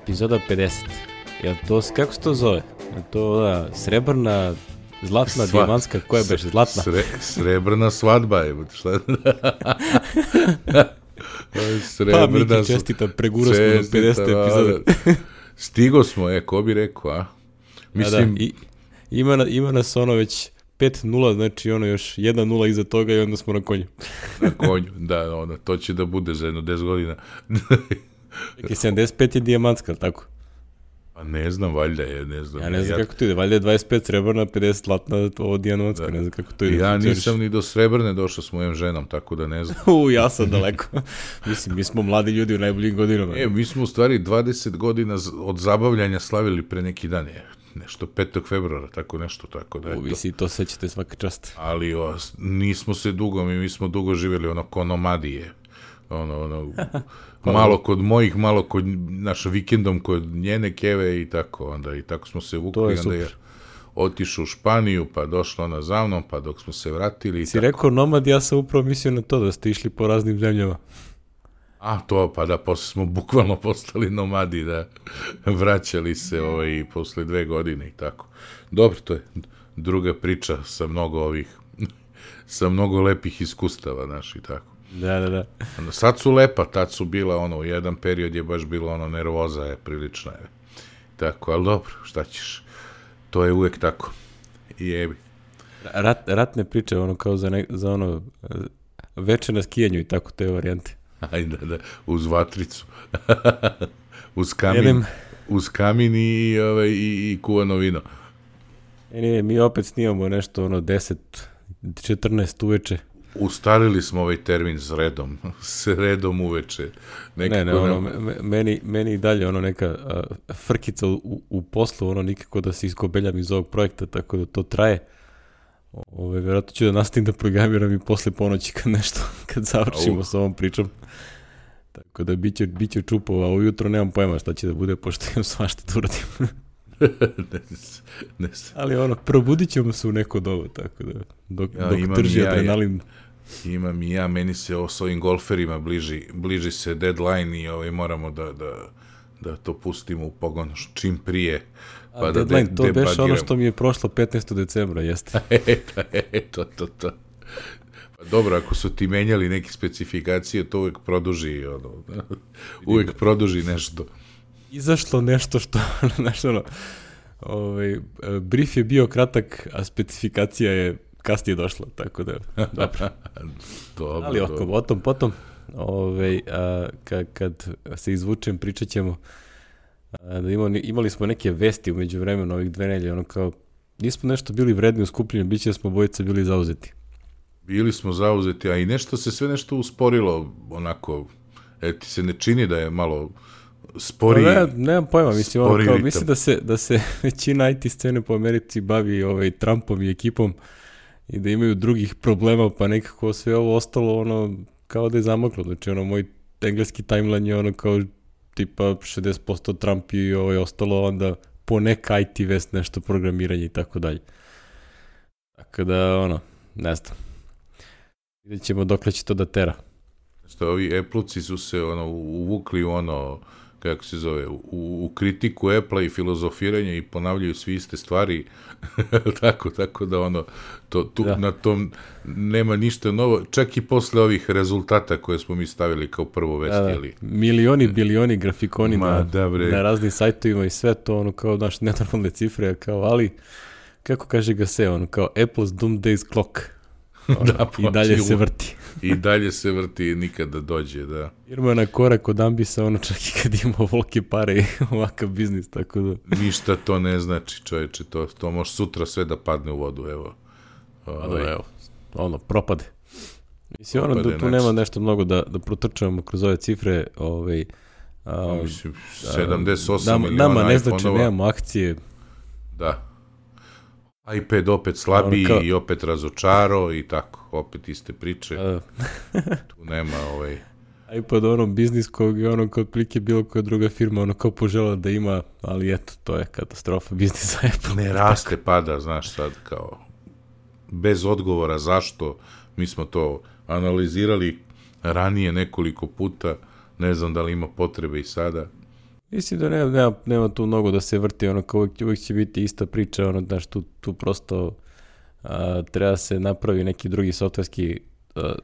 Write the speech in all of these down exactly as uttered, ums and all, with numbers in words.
Epizoda pedeset. Jel to, kako se to zove? Jel to da, srebrna, zlatna, Sva, diamantska, koja je beš, zlatna? Sre, srebrna svadba je, šta? Pa Miki, čestita, preguro smo na pedeset epizoda. Stigo smo, e, ko bi rekao, a? Mislim... Da, da, i, ima, na, ima nas ono već pet nula, znači ono još jedna nula iza toga i onda smo na konju. Na konju, da, ono, to će da bude za jedno deset godina. Čekaj, sedamdeset pet je dijamantska, ali tako? Pa ne znam, valjda je, ne znam. Ja ne znam ja... kako to ide, valjda je dvadeset pet srebrna, pedeset zlatna, ovo dijamantska, ne znam kako to ide. Ja nisam ni do srebrne došao s mojom ženom, tako da ne znam. U, ja sam daleko. Mislim, mi smo mladi ljudi u najboljim godinama. E, mi smo u stvari dvadeset godina od zabavljanja slavili pre neki dan, je. Nešto petog februara, tako nešto, tako da je to. U, vi si to sećate svaka čast. Ali o, nismo se dugo, mi, mi smo dugo živjeli ono ko nomadije. Ono, ono, malo kod mojih, malo kod naša vikendom kod njene keve i tako, onda i tako smo se vukli, je onda je otišao u Španiju, pa došla ona za mnom, pa dok smo se vratili i si tako. Rekao nomad, ja sam upravo mislio na to da ste išli po raznim zemljama. A to, pa da, posle smo bukvalno postali nomadi, da vraćali se ovaj, posle dve godine i tako. Dobro, to je druga priča sa mnogo ovih, sa mnogo lepih iskustava, znaš, i tako. Da, da, da. Sad su lepa, tad su bila, ono, u jedan period je baš bilo, ono, nervoza je prilična, je. Tako, ali dobro, šta ćeš, to je uvek tako. I jebi. Rat, ratne priče, ono, kao za, ne, za ono, veče na skijanju i tako, te varijante. Ajde, da, uz vatricu. uz kamin, Jedem. uz kamin i, ovaj, i, i kuvano vino. E, nije, mi opet snimamo nešto, ono, deset, četrnaest uveče. Ustarili smo ovaj termin s redom, s redom uveče. Nekako ne, ne, ono, nam... meni, meni i dalje ono neka a, frkica u, u poslu, ono nikako da se iskobeljam iz ovog projekta, tako da to traje. Ove, vjerojatno ću da nastavim da programiram i posle ponoći kad nešto, kad završimo uh. s ovom pričom. Tako da bit će, bit će čupova, a ujutro nemam pojma šta će da bude, pošto imam svašta da uradim. ne, ne. Ali ono, probudit ćemo se u neko dobu, tako da, dok, ja, dok trži ja, adrenalin. Ja, imam i ja, meni se o svojim golferima bliži, bliži se deadline i ovaj, moramo da, da, da to pustimo u pogon čim prije. Pa a da deadline, de, to beš ono što mi je prošlo petnaestog decembra, jeste. Eto, eto, to, to. Pa dobro, ako su ti menjali neke specifikacije, to uvek produži, ono, uvek produži nešto. Izašlo nešto što, znaš ono, ovaj, brief je bio kratak, a specifikacija je kasnije došla, tako da, dobro. dobro ali oko, o tom, potom, ovaj, a, kad, kad se izvučem, pričat ćemo, a, da imali, imali smo neke vesti umeđu vremenu ovih dve nelje, ono kao, nismo nešto bili vredni u skupljenju, bit će smo bojice bili zauzeti. Bili smo zauzeti, a i nešto se sve nešto usporilo, onako, e, ti se ne čini da je malo... Spori, ne, nemam pojma, mislim, ono, kao, mislim da se, da se većina I T scene po Americi bavi ovaj, Trumpom i ekipom i da imaju drugih problema, pa nekako sve ovo ostalo ono, kao da je zamaklo. Znači, ono, moj engleski timeline je ono kao tipa šezdeset posto Trump i ovo je ostalo onda po neka I T vest, nešto programiranje i tako dalje. Tako da, ono, ne znam. Vidjet ćemo dokle će to da tera. Što ovi Apple-ci su se ono, uvukli u ono, kako se zove, u, u kritiku Apple-a i filozofiranje i ponavljaju svi iste stvari, tako, tako da ono, to, tu, da. Na tom nema ništa novo, čak i posle ovih rezultata koje smo mi stavili kao prvo vesti. Da, da. Milioni, bilioni grafikoni Ma, na, da, na raznim sajtovima i sve to, ono, kao naš nenormalne cifre, kao, ali, kako kaže ga se, ono, kao Apple's Doomsday Clock. Ono, da, i dalje se vrti. I dalje se vrti i nikada dođe, da. Irma na korak od Ambisa, ono čak i kad ima volke pare i ovakav biznis, tako da... Ništa to ne znači, čovječe, to, to može sutra sve da padne u vodu, evo. Ovaj. Da, evo, ono, propade. Mislim, ono, da tu nema nešto mnogo da, da protrčavamo kroz ove cifre, ovaj... A, mislim, sedamdeset osam nam, miliona nama ne znači, iPhone-ova. nemamo akcije. Da. iPad opet slabiji kao... i opet razočaro i tako, opet iste priče. A... tu nema ovaj... iPad ono biznis kog je ono kod plike bilo koja druga firma ono kao požela da ima, ali eto, to je katastrofa biznis za Apple. Ne raste, pada, znaš sad, kao bez odgovora zašto, mi smo to analizirali ranije nekoliko puta, ne znam da li ima potrebe i sada. Mislim da nema, nema, nema tu mnogo da se vrti, ono kao uvijek, uvijek će biti ista priča, ono, znaš, tu, tu prosto a, treba se napravi neki drugi softverski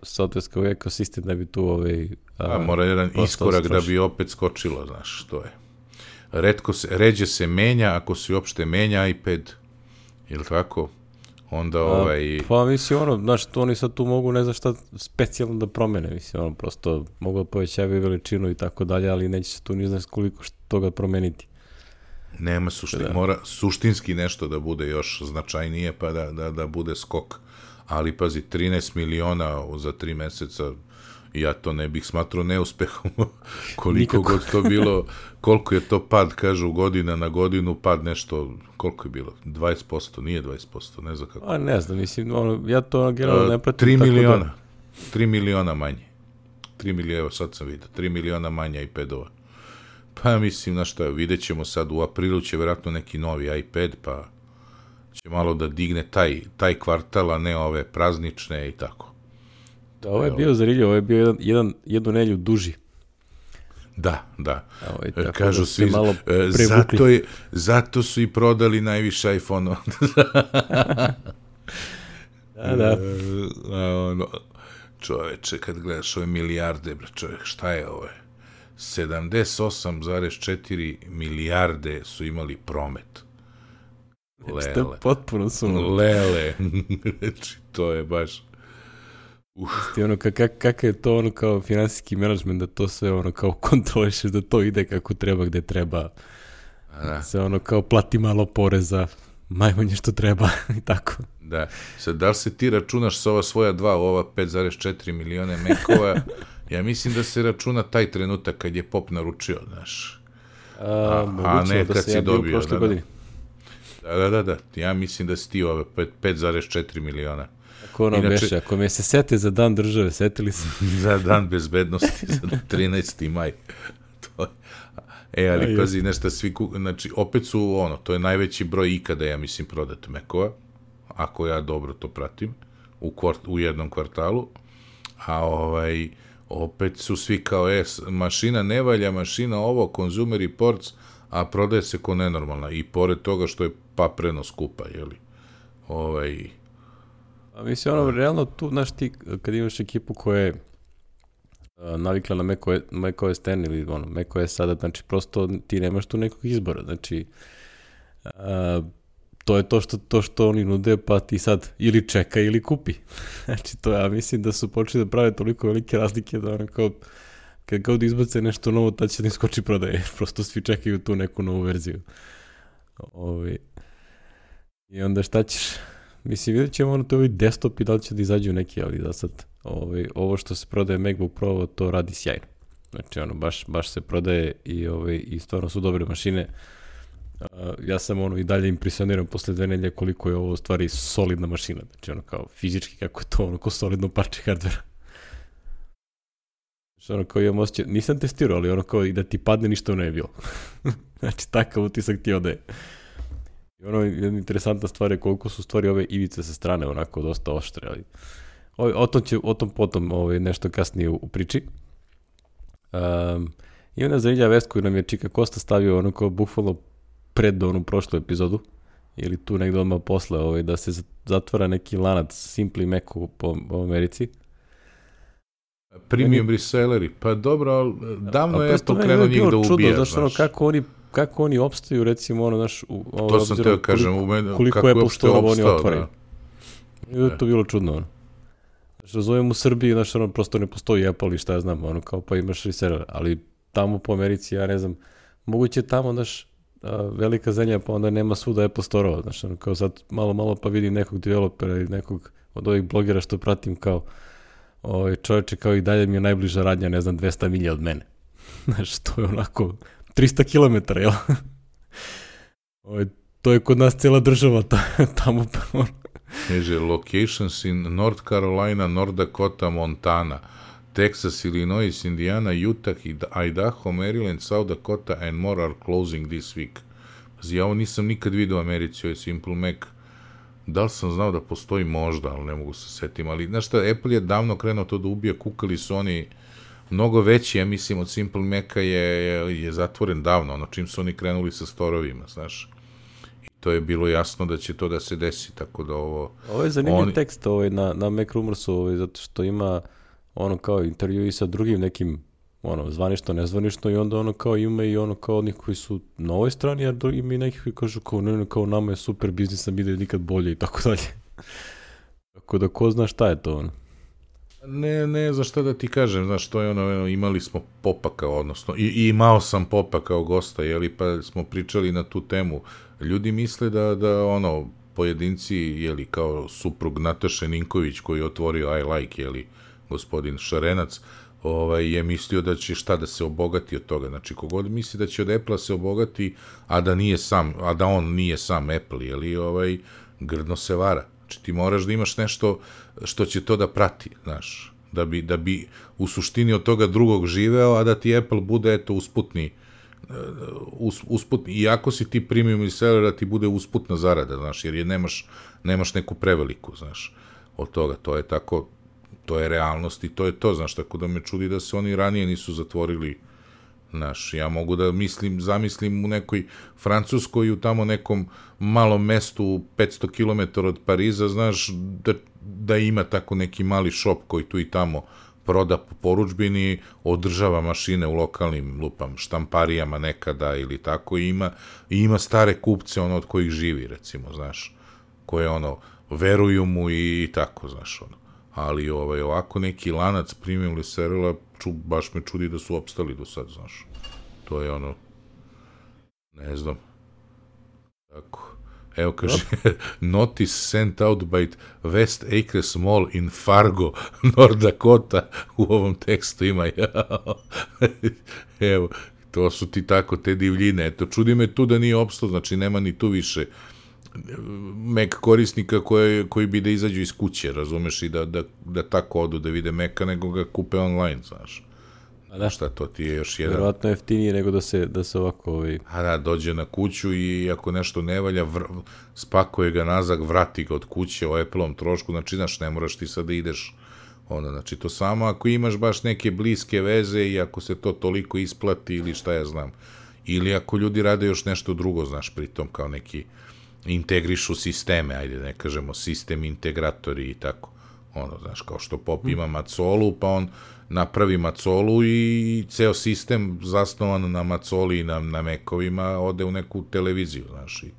softverski ekosistem da bi tu ovaj... A, a mora jedan iskorak stroši. Da bi opet skočilo, znaš, to je. Retko se, ređe se menja, ako se uopšte menja iPad, ili tako, onda ovaj... A, pa mislim, ono, znaš, to oni sad tu mogu ne znam šta specijalno da promene, mislim, ono, prosto mogu da povećavaju veličinu i tako dalje, ali neće se tu ni znaš koliko što toga promeniti. Nema suštin, da. Mora suštinski nešto da bude još značajnije, pa da, da, da bude skok. Ali, pazi, trinaest miliona za tri meseca, ja to ne bih smatrao neuspehom. Koliko Nikako. God to bilo, koliko je to pad, kažu, godina na godinu, pad nešto, koliko je bilo? dvadeset posto, nije dvadeset posto, ne znam kako. A ne znam, mislim, ono, ja to generalno ne pratim. tri miliona, da... tri miliona manje. tri miliona, evo sad sam vidio, tri miliona manje iPadova. Pa mislim, na šta, vidjet ćemo sad, u aprilu će vjerojatno neki novi iPad, pa će malo da digne taj, taj kvartal, a ne ove praznične i tako. Da, ovo je bio zanimljivo, ovo je bio jedan, jedan, jednu nelju duži. Da, da. Ovo, kažu da svi, zato, je, zato su i prodali najviše iPhone-ova. da, da. Ono, čoveče, kad gledaš ove milijarde, bre, čovjek, šta je ovo? sedamdeset osam zarez četiri milijarde su imali promet. Lele. Potpuno su. Lele. Znači, to je baš... Isti, ono, kak, kak je to ono kao finansijski menadžment, da to sve ono kao kontrolišeš, da to ide kako treba, gde treba. Da. Se ono kao plati malo poreza, najmanje što treba i tako. Da. Sad, da li se ti računaš sa ova svoja dva, ova pet zarez četiri milione mekova? Ja mislim da se računa taj trenutak kad je Pop naručio, znaš. A, a, a ne da kad si ja dobio. Da, da. da, da, da, da. Ja mislim da si ti ove pet zarez četiri miliona. Ako ono Inače, beše, ako me se sete za dan države, setili se. Za dan bezbednosti, za trinaesti maj. To je. E, ali Aj, pazi, nešto svi, znači, opet su, ono, to je najveći broj ikada, ja mislim, prodat Mekova, ako ja dobro to pratim, u, kvart, u jednom kvartalu, a ovaj, opet su svi kao, e, mašina ne valja, mašina ovo, Consumer Reports, a prodaje se ko nenormalna, i pored toga što je papreno skupa, jeli, ovaj... A mislim, ono, realno tu, znaš, ti, kad imaš ekipu koja je uh, navikla na macOS ten ili ono, macOS sada, znači, prosto ti nemaš tu nekog izbora, znači, uh, to je to što, to što oni nude, pa ti sad ili čeka ili kupi. Znači, to ja mislim da su počeli da prave toliko velike razlike da ono kao, kad kao da izbace nešto novo, tad će da im skoči prodaje, prosto svi čekaju tu neku novu verziju. Ovi. I onda šta ćeš... Mislim, vidjet ćemo ono to ovi desktop i da li će da izađu neki, ali da sad ovaj, ovo što se prodaje MacBook Pro, to radi sjajno. Znači, ono, baš, baš se prodaje i, ovaj, i stvarno su dobre mašine. Uh, ja sam ono i dalje impresioniran posle dve nedelje koliko je ovo u stvari solidna mašina. Znači, ono kao fizički kako je to, ono kao solidno parče hardvera. Znači, ono kao imam osjećaj, nisam testirao, ali ono kao i da ti padne ništa ne je bilo. Znači, takav utisak ti odaje. I ono, jedna interesantna stvar je koliko su stvari ove ivice sa strane onako dosta oštre, ali o, o tom će, o tom potom ovaj, nešto kasnije u, u priči. Um, I ona zanimljiva vest koju nam je Čika Kosta stavio ono kao bukvalno pred onu prošlu epizodu, ili tu negdje odmah posle, ovaj, da se zatvara neki lanac Simply Macu po, po Americi. Premium meni, reselleri, pa dobro, ali davno a, je to krenuo njih da ubija. Zašto ono, kako oni kako oni opstaju, recimo, ono, naš... U, ovo, to sam te kažem, u mene, koliko je Apple oni otvaraju. Da. I da je to bilo čudno, ono. Znaš, razumem u Srbiji, znaš, ono, prosto ne postoji Apple i šta ja znam, ono, kao pa imaš reseller, ali tamo po Americi, ja ne znam, moguće tamo, znaš, velika zemlja, pa onda nema svuda Apple Store-ova, znaš, ono, kao sad malo, malo pa vidim nekog developera ili nekog od ovih blogera što pratim, kao, ovaj, čovječe, kao i dalje mi je najbliža radnja, ne znam, dvesta milja od mene. Znaš, to je onako... trista kilometara, jel? Ovo, to je kod nas cijela država ta, tamo. Kaže, locations in North Carolina, North Dakota, Montana, Texas, Illinois, Indiana, Utah, Idaho, Maryland, South Dakota and more are closing this week. Pazi, ja ovo nisam nikad vidio u Americi, ovo je Simple Mac. Da li sam znao da postoji možda, ali ne mogu se setim. Ali, znaš šta, Apple je davno krenuo to da ubija, kukali su oni mnogo veći, ja mislim, od Simple Maca je, je, je zatvoren davno, ono čim su oni krenuli sa storovima, znaš. I to je bilo jasno da će to da se desi, tako da ovo... Ovo je zanimljiv oni... tekst ovaj, na, na Mac Rumorsu, ovaj, zato što ima ono kao intervju i sa drugim nekim ono, zvanično, nezvanično i onda ono kao ima i ono kao onih koji su na ovoj strani, jer ima i nekih koji kažu kao, ne, ne, kao nama je super biznis, nam ide nikad bolje i tako dalje. Tako da ko zna šta je to ono. Ne, ne, za šta da ti kažem, znaš, to je ono, imali smo Popa kao, odnosno, i, i imao sam Popa kao gosta, jeli, pa smo pričali na tu temu. Ljudi misle da, da ono, pojedinci, jeli, kao suprug Nataše Ninković koji je otvorio I Like, jeli, gospodin Šarenac, ovaj, je mislio da će šta da se obogati od toga. Znači, kogod misli da će od Apple-a se obogati, a da nije sam, a da on nije sam Apple, jeli, ovaj, grdno se vara. Znači, ti moraš da imaš nešto što će to da prati, znaš, da bi, da bi u suštini od toga drugog živeo, a da ti Apple bude, eto, usputni, us, usputni, iako si ti premium reseller, da ti bude usputna zarada, znaš, jer je nemaš, nemaš neku preveliku, znaš, od toga, to je tako, to je realnost i to je to, znaš, tako da me čudi da se oni ranije nisu zatvorili, znaš, ja mogu da mislim, zamislim u nekoj Francuskoj, u tamo nekom malom mestu petsto kilometara od Pariza, znaš, da, da ima tako neki mali šop koji tu i tamo proda po poručbini, održava mašine u lokalnim, lupam, štamparijama nekada ili tako, i ima, i ima stare kupce, ono, od kojih živi, recimo, znaš, koje, ono, veruju mu i, i tako, znaš, ono. Ali ovaj, ovako neki lanac premium resellerila, ču, baš me čudi da su opstali do sad, znaš. To je ono, ne znam. Tako. Evo kaže, notice sent out by West Acres Mall in Fargo, North Dakota, u ovom tekstu ima. Evo, to su ti tako, te divljine. Eto, čudi me tu da nije opstao, znači nema ni tu više Mac korisnika koje, koji bi da izađu iz kuće, razumeš, i da, da, da tako odu da vide Maca, nego ga kupe online, znaš. A da, šta to ti je još jedan... Verovatno jeftinije nego da se, da se ovako... Ovaj... A da, dođe na kuću i ako nešto ne valja, vr... spakuje ga nazad, vrati ga od kuće o Apple-om trošku, znači, znaš, ne moraš ti sad da ideš, ono, znači, to samo ako imaš baš neke bliske veze i ako se to toliko isplati ili šta ja znam, ili ako ljudi rade još nešto drugo, znaš, pritom kao neki integrišu sisteme, ajde ne kažemo sistem integratori i tako, ono, znaš, kao što Pop ima Macolu, pa on napravi Macolu i ceo sistem zasnovan na Macoli i na, na Mac-ovima ode u neku televiziju, znaš, i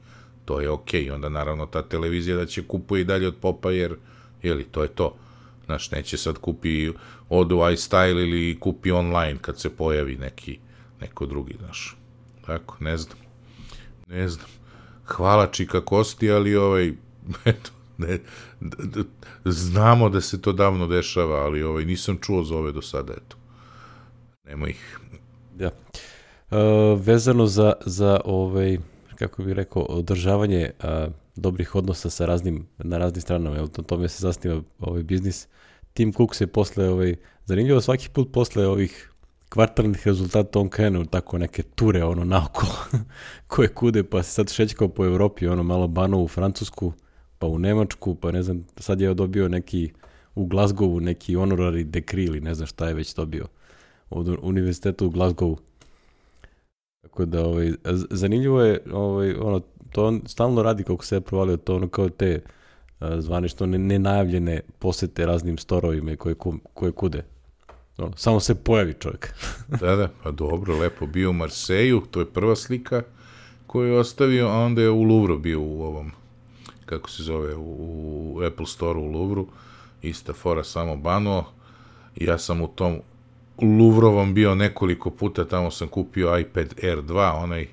to je okej, okay. Onda naravno ta televizija da će kupuje i dalje od Popa, jer, jeli, to je to, znaš, neće sad kupi od u iStyle ili kupi online kad se pojavi neki, neko drugi, znaš, tako, ne znam, ne znam. Hvala Čika Kosti, ali ovaj, eto, ne, d, d, znamo da se to davno dešava, ali ovaj, nisam čuo za ove do sada, eto. Nemo ih. Ja. E, vezano za, za ovaj, kako bih rekao, održavanje a, dobrih odnosa sa raznim, na raznim stranama, jel, to tome se zasniva ovaj biznis. Tim Cook se posle, ovaj, zanimljivo svaki put posle ovih kvartalnih rezultata on krenu tako neke ture ono naokolo koje kude, pa se sad šećkao po Evropi, ono malo bano u Francusku, pa u Nemačku, pa ne znam, sad je dobio neki u Glasgowu neki honorary degree ili ne znam šta je već dobio od univerziteta u Glasgowu. Tako da ovaj, zanimljivo je, ovaj, ono, to on stalno radi kako se je provalio, to ono kao te zvanično nenajavljene posete raznim storovima koje, koje kude. No, samo se pojavi čovjek. Da, da, pa dobro, lepo. Bio u Marseju, to je prva slika koju je ostavio, a onda je u Louvru bio u ovom, kako se zove, u, u Apple Store u Louvru, ista fora, samo banuo. Ja sam u tom Louvrovom bio nekoliko puta, tamo sam kupio iPad Air dva, onaj,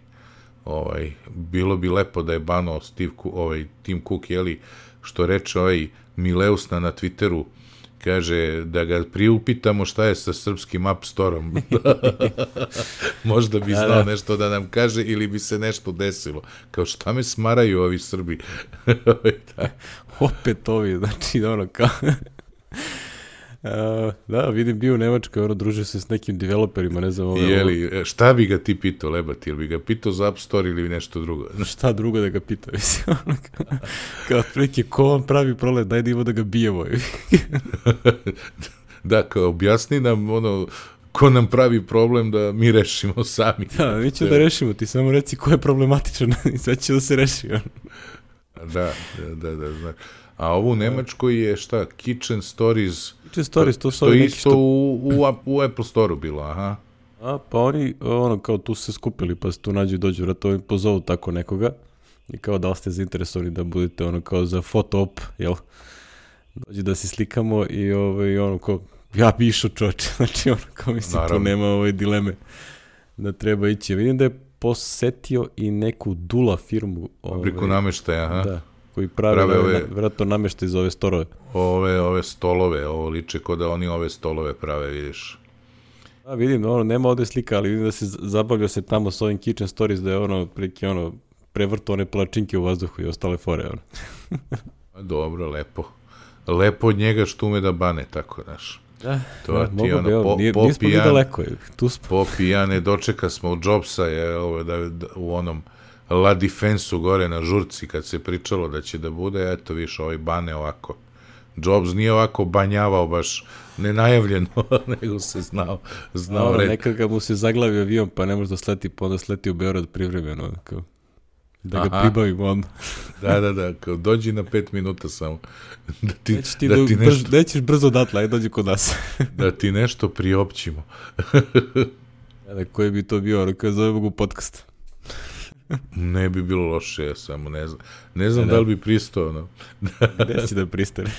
ovaj, bilo bi lepo da je banuo Steve, ovaj, Tim Cook, jeli, što reče ovaj Mileusna na Twitteru, kaže da ga priupitamo šta je sa srpskim App Store-om. Možda bi znao da, da. nešto da nam kaže ili bi se nešto desilo. Kao šta me smaraju ovi Srbi. Opet ovi, znači ono kao... Uh, da, vidim bio u Nemačkoj, ono druže se s nekim developerima, ne znam... Ove, Jeli, šta bi ga ti pitao, Lebati? Ili bi ga pitao za App Store ili nešto drugo? Šta drugo da ga pitao, mislim, ono kao, kao prilike, ko vam pravi problem, daj da ima da ga bijemo. Da, kao objasni nam, ono, ko nam pravi problem da mi rešimo sami. Da, mi ćemo da rešimo, ti samo reci ko je problematičan i sve će da se reši. Da, da, da, da, znaš. A ovo u Nemačkoj je šta, Kitchen Stories, Kitchen Stories, to su to neki isto što... u, u, u Apple Store-u bilo, aha. A, pa oni, ono, kao tu se skupili, pa se tu nađu i dođu, vratno im pozovu tako nekoga i kao da li ste zainteresovani da budete, ono, kao za foto-op, jel? Dođi da se slikamo i, ovaj, ono, kao, ja bi išao čoče, znači, ono, kao mislim, tu nema ove dileme da treba ići. Vidim da je posetio i neku Dula firmu. Fabriku ovaj, nameštaja, aha. Da, koji prave, prave ove, vjerojatno nameštaj za ove storove. Ove, ove stolove, ovo liče ko da oni ove stolove prave, vidiš. A vidim, ono, nema ovde slika, ali vidim da se zabavljao se tamo s ovim Kitchen Stories, da je ono, preki, ono, prevrto one palačinke u vazduhu i ostale fore, ono. Dobro, lepo. Lepo od njega što ume da bane, tako, znaš. Da, to da, ti mogu ono, bi, evo, po, nije, po nismo pijan, ni daleko, tu smo. Po pijane dočeka smo u Jobsa, je, ovo, da, da, u onom La Defense-u gore na žurci, kad se pričalo da će da bude, eto, viš, ovaj bane ovako. Jobs nije ovako banjavao baš nenajavljeno, nego se znao, znao no, red. Nekada mu se zaglavio avion, pa ne može da sleti, pa onda sleti u Beograd privremeno, kao, da ga Aha. pribavimo onda. Da, da, da, kao dođi na pet minuta samo. Da ti, Neći ti da do, ti brz, nešto, nećeš brzo odatle, aj dođi kod nas. Da ti nešto priopćimo. Da, koji bi to bio, ono kada zovemo u podcast. Ne bi bilo loše, ja samo ne znam. Ne znam ne, da li bi pristao, no. Gde si da pristane?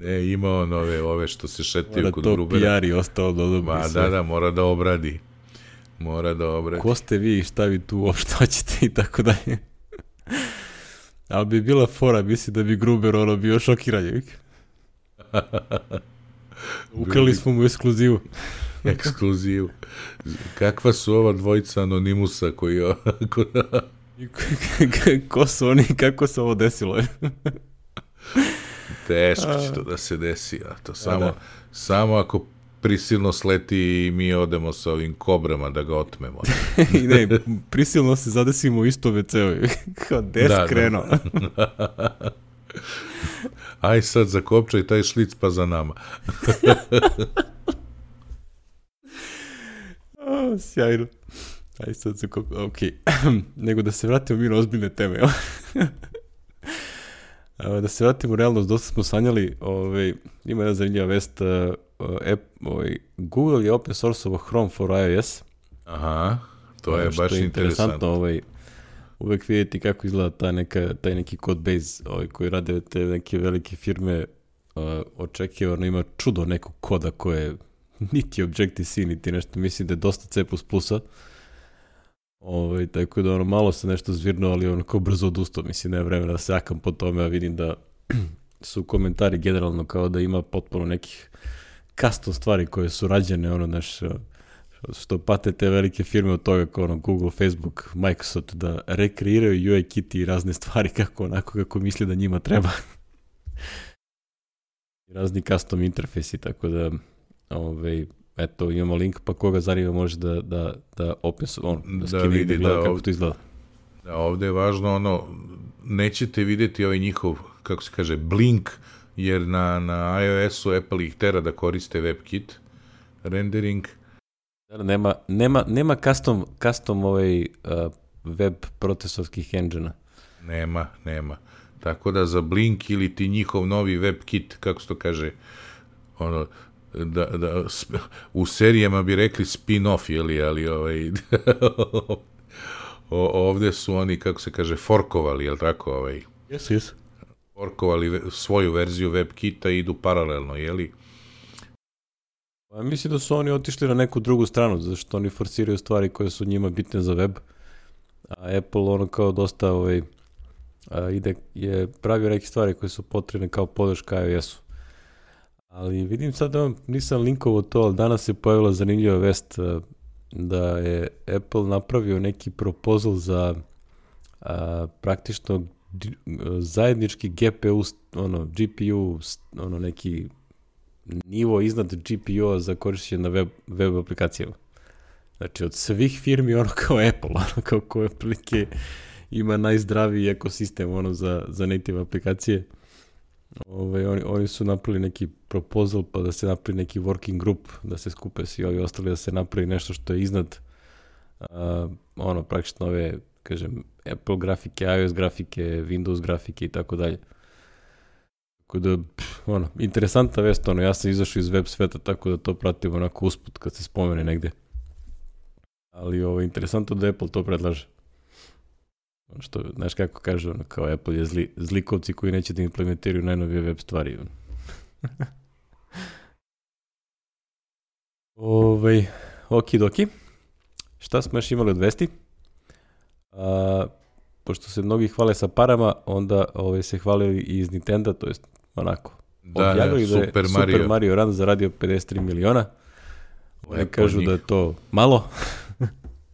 Ne, ima on ove, ove što se šetaju mora kod to Grubera. P R i ostalo da odobri Ma, sve. da, da, mora da obradi. Mora da obradi. Ko ste vi i šta vi tu uopšte hoćete i tako dalje. Ali bi bila fora, mislim da bi Gruber ono bio šokiran. Ukrali smo mu ekskluzivu. Ekskluzivu. Kakva su ova dvojica Anonimusa koji... Ko su oni, kako se ovo desilo? Teško će to da se desi, a to samo, da. samo ako prisilno sleti i mi odemo sa ovim kobrama da ga otmemo. I ne, prisilno se zadesimo isto ve ce u. Kao des da, krenuo. Da. Aj sad zakopčaj taj šlic pa za nama. O, sjajno. Aj sad zakopčaj, ok. Nego da se vratimo mi na ozbiljne teme. Da se vratimo u realnost, dosta smo sanjali, ovaj, ima jedna zanimljiva vest, uh, app, ovaj, Google je open source-ovo Chrome for iOS. Aha, to je baš je interesantno. Ovaj, uvek vidjeti kako izgleda ta neka, taj neki code base ovaj, koji rade te neke velike firme, uh, očekivano ima čudo nekog koda koje niti Objective-C, niti nešto, mislim da je dosta C plus plus-a. Ovaj, tako da ono, malo se nešto zvirno, ali ono kao brzo odustao, mislim, nema vremena da se jakam po tome, a vidim da su komentari generalno kao da ima potpuno nekih custom stvari koje su rađene, ono, znaš, što pate te velike firme od toga kao ono Google, Facebook, Microsoft, da rekreiraju U I kit i razne stvari kako onako kako misli da njima treba. Razni custom interfejsi, tako da ovaj, eto, imamo link, pa koga zanima može da, da, da opis, on, da, da vidi, da gleda da, kako ovdje, to izgleda. Da, ovdje je važno, ono, nećete vidjeti ovaj njihov, kako se kaže, blink, jer na, na iOS-u Apple ih tera da koriste WebKit rendering. Da, nema, nema, nema custom, custom ovaj, uh, web procesovskih engine-a. Nema, nema. Tako da za Blink ili ti njihov novi WebKit, kako se to kaže, ono, da, da, u serijama bi rekli spin-off, jeli, ali ovaj, o, ovdje su oni, kako se kaže, forkovali, jel tako? Ovaj, jesu, jesu. Forkovali svoju verziju WebKita i idu paralelno, jeli? Pa, mislim da su oni otišli na neku drugu stranu, zašto oni forsiraju stvari koje su njima bitne za web, a Apple ono kao dosta ovaj, a, ide, je pravio neke stvari koje su potrebne kao podrška iOS-u. Ali vidim sad da nisam linkovao to, ali danas je pojavila zanimljiva vest da je Apple napravio neki proposal za a, praktično zajednički G P U, ono, G P U, ono, neki nivo iznad G P U-a za korišćenje na web, web aplikacijama. Znači, od svih firmi, ono kao Apple, ono kao koje aplike ima najzdraviji ekosistem, ono, za, za native aplikacije. Ove, oni, oni su napravili neki proposal, pa da se napravi neki working group, da se skupe svi ovi ostali, da se napravi nešto što je iznad uh, ono, praktično ove, kažem, Apple grafike, iOS grafike, Windows grafike i tako dalje. Tako da, pff, ono, interesantna vest, ono, ja sam izašao iz web sveta, tako da to pratim onako usput kad se spomene negde. Ali ovo, interesantno da Apple to predlaže. Ono što, znaš kako kaže, ono, kao Apple je zli, zlikovci koji neće da implementiraju najnovije web stvari. Ovej, okidoki. Šta smo još imali od vesti? A, pošto se mnogi hvale sa parama, onda ove, se hvalili i iz Nintendo, to jest onako. Da, objavili da je Super Mario. Super Mario Run zaradio pedeset tri miliona. Oni kažu da je to malo.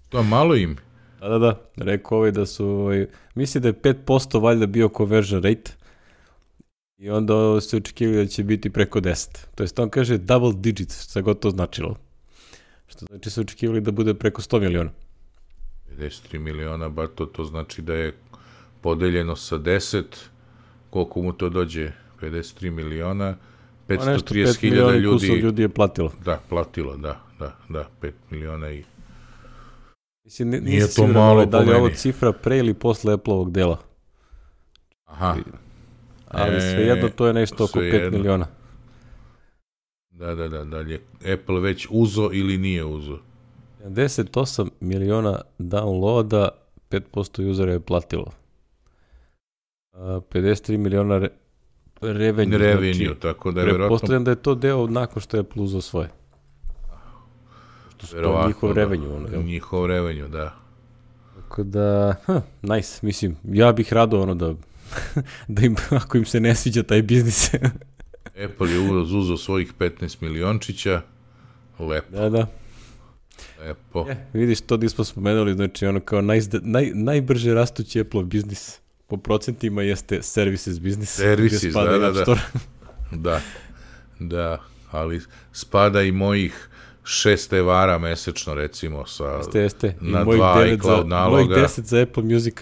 To je malo im. Da, da, da. Rekao ovaj da su, ovaj, misli da je pet posto valjda bio conversion rate i onda se očekivali da će biti preko deset. To jest on kaže double digits, šta god to značilo. Što znači se očekivali da bude preko sto miliona. pedeset tri miliona, bar to, to znači da je podeljeno sa deset, koliko mu to dođe, pedeset tri miliona, petsto trideset hiljada ljudi, ljudi je platilo. Da, platilo, da, da, da, pet miliona i... Mislim, n- nije to malo da li je ovo cifra pre ili posle Apple-ovog dela. Aha. Ali e, svejedno to je nešto oko pet miliona. Da, da, da, da li je Apple već uzo ili nije uzo? sedamdeset osam miliona downloada, pet posto usera je platilo. A, pedeset tri miliona re, revenue. Revenue, znači, tako da je verovatno... Pretpostavljam da je to deo nakon što je Apple uzao svoje. To je njihov revenue. Ono, njihov revenue, da. Tako da, huh, nice, mislim, ja bih rado ono da, da im, ako im se ne sviđa taj biznis. Apple je uzeo svojih petnaest miliončića, lepo. Da, da. Lepo. Je, vidiš, to di smo spomenuli, znači ono kao naj, naj, najbrže rastući Apple biznis po procentima jeste services biznis. Services, da, da, da. Da, da, ali spada i mojih šest evara mesečno, recimo, sa jeste, jeste. na dva iCloud naloga. Mojih deset za Apple Music.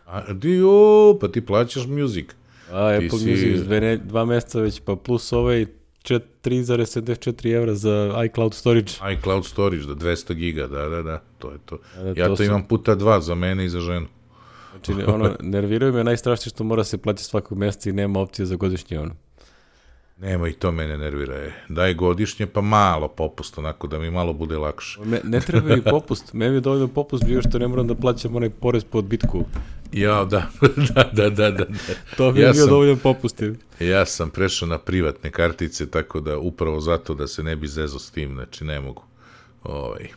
A, dio, pa ti plaćaš Music. A, ti Apple si... Music, dve, dva meseca već, pa plus ovaj tri zarez sedamdeset četiri evra za iCloud storage. iCloud storage, da, dvesta giga, da, da, da, to je to. Da, da, ja to, to imam puta dva za mene i za ženu. Znači, ono, nerviraju me najstrašnije što mora se plaćati svakog meseca i nema opcije za godišnje, ono. Nema, i to mene nervira. Je. Daj godišnje, pa malo popust, onako da mi malo bude lakše. Me, ne treba mi popust. Meni je dovoljno popust bio što ne moram da plaćam onaj porez po odbitku. Ja, da, da, da, da, da. To mi je ja bio sam, dovoljno popust. Ja sam prešao na privatne kartice, tako da upravo zato da se ne bi zezo s tim, znači ne mogu. Ovaj,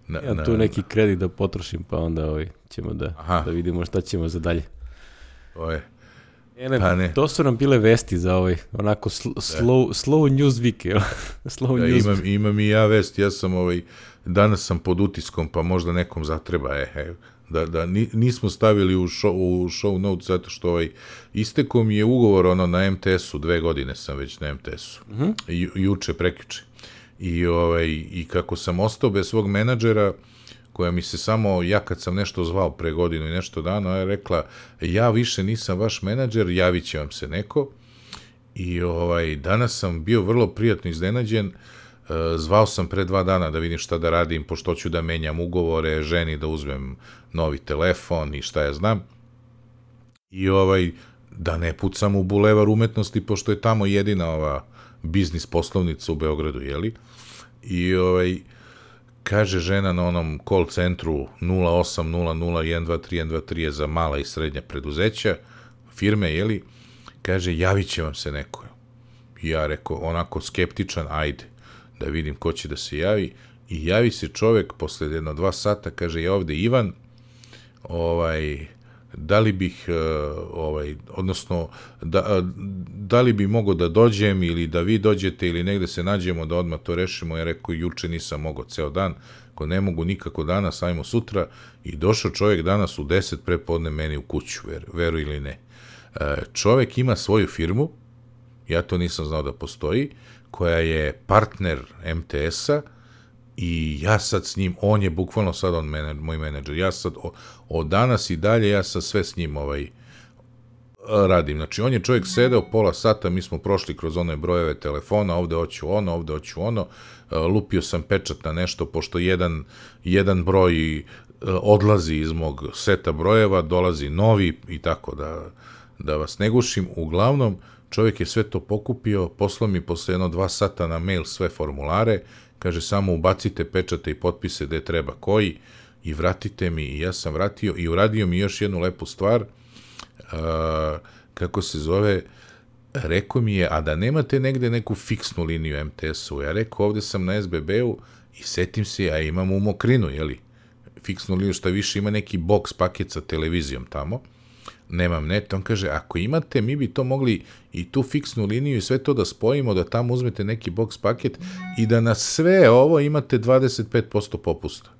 na, ja tu na, neki kredit da potrošim, pa onda ovaj, ćemo da, da vidimo šta ćemo za dalje. To je. Ne, pa ne. To su nam bile vesti za ovaj, onako sl- slow, slow news week. slow da, news imam, imam i ja vest, ja sam ovaj, danas sam pod utiskom, pa možda nekom zatreba, e, e, da, da nismo stavili u show, u show notes, zato što ovaj, isteko mi je ugovor ono, na em te esu, dve godine sam već na em te esu, uh-huh. Ju, juče, prekjuče. I, ovaj, I kako sam ostao bez svog menadžera, koja mi se samo, ja kad sam nešto zvao pre godinu i nešto dana, je rekla, ja više nisam vaš menadžer, javit će vam se neko. I ovaj, danas sam bio vrlo prijatno iznenađen, zvao sam pre dva dana da vidim šta da radim, pošto ću da menjam ugovore, ženi da uzmem novi telefon i šta ja znam. I ovaj, da ne pucam u Bulevar umetnosti, pošto je tamo jedina ova biznis poslovnica u Beogradu, jeli? I ovaj, kaže žena na onom call centru nula osam nula nula jedan dva tri jedan dva tri je za mala i srednja preduzeća, firme, jeli, kaže, javit će vam se neko. I ja rekao, onako skeptičan, ajde, da vidim ko će da se javi. I javi se čovek posle jedno dva sata, kaže, je ovde Ivan, ovaj, da li bih, ovaj, odnosno, da, da li bi mogo da dođem ili da vi dođete ili negde se nađemo da odmah to rešimo. Ja rekao, juče nisam mogao ceo dan, ako ne mogu nikako danas, ajmo sutra. I došao čovjek danas u deset prepodne meni u kuću, ver, veru ili ne. Čovjek ima svoju firmu, ja to nisam znao da postoji, koja je partner em te esa, i ja sad s njim, on je bukvalno sad on menadž, moj menadžer, ja sad o, od danas i dalje, ja sad sve s njim ovaj, radim. Znači, on je čovjek sedeo pola sata, mi smo prošli kroz one brojeve telefona, ovde hoću ono, ovde hoću ono, lupio sam pečat na nešto, pošto jedan, jedan broj odlazi iz mog seta brojeva, dolazi novi i tako da, da vas ne gušim. Uglavnom, čovjek je sve to pokupio, poslao mi posle jedno dva sata na mail sve formulare, kaže samo ubacite pečate i potpise gde treba koji i vratite mi, i ja sam vratio i uradio mi još jednu lepu stvar, uh, kako se zove, rekao mi je, a da nemate negde neku fiksnu liniju em te es-u, ja rekao, ovde sam na es be be-u i setim se, a imam u Mokrinu, jeli, fiksnu liniju, šta više ima neki box paket sa televizijom tamo, nemam net, on kaže, ako imate, mi bi to mogli i tu fiksnu liniju i sve to da spojimo, da tamo uzmete neki box paket i da na sve ovo imate dvadeset pet posto popusta.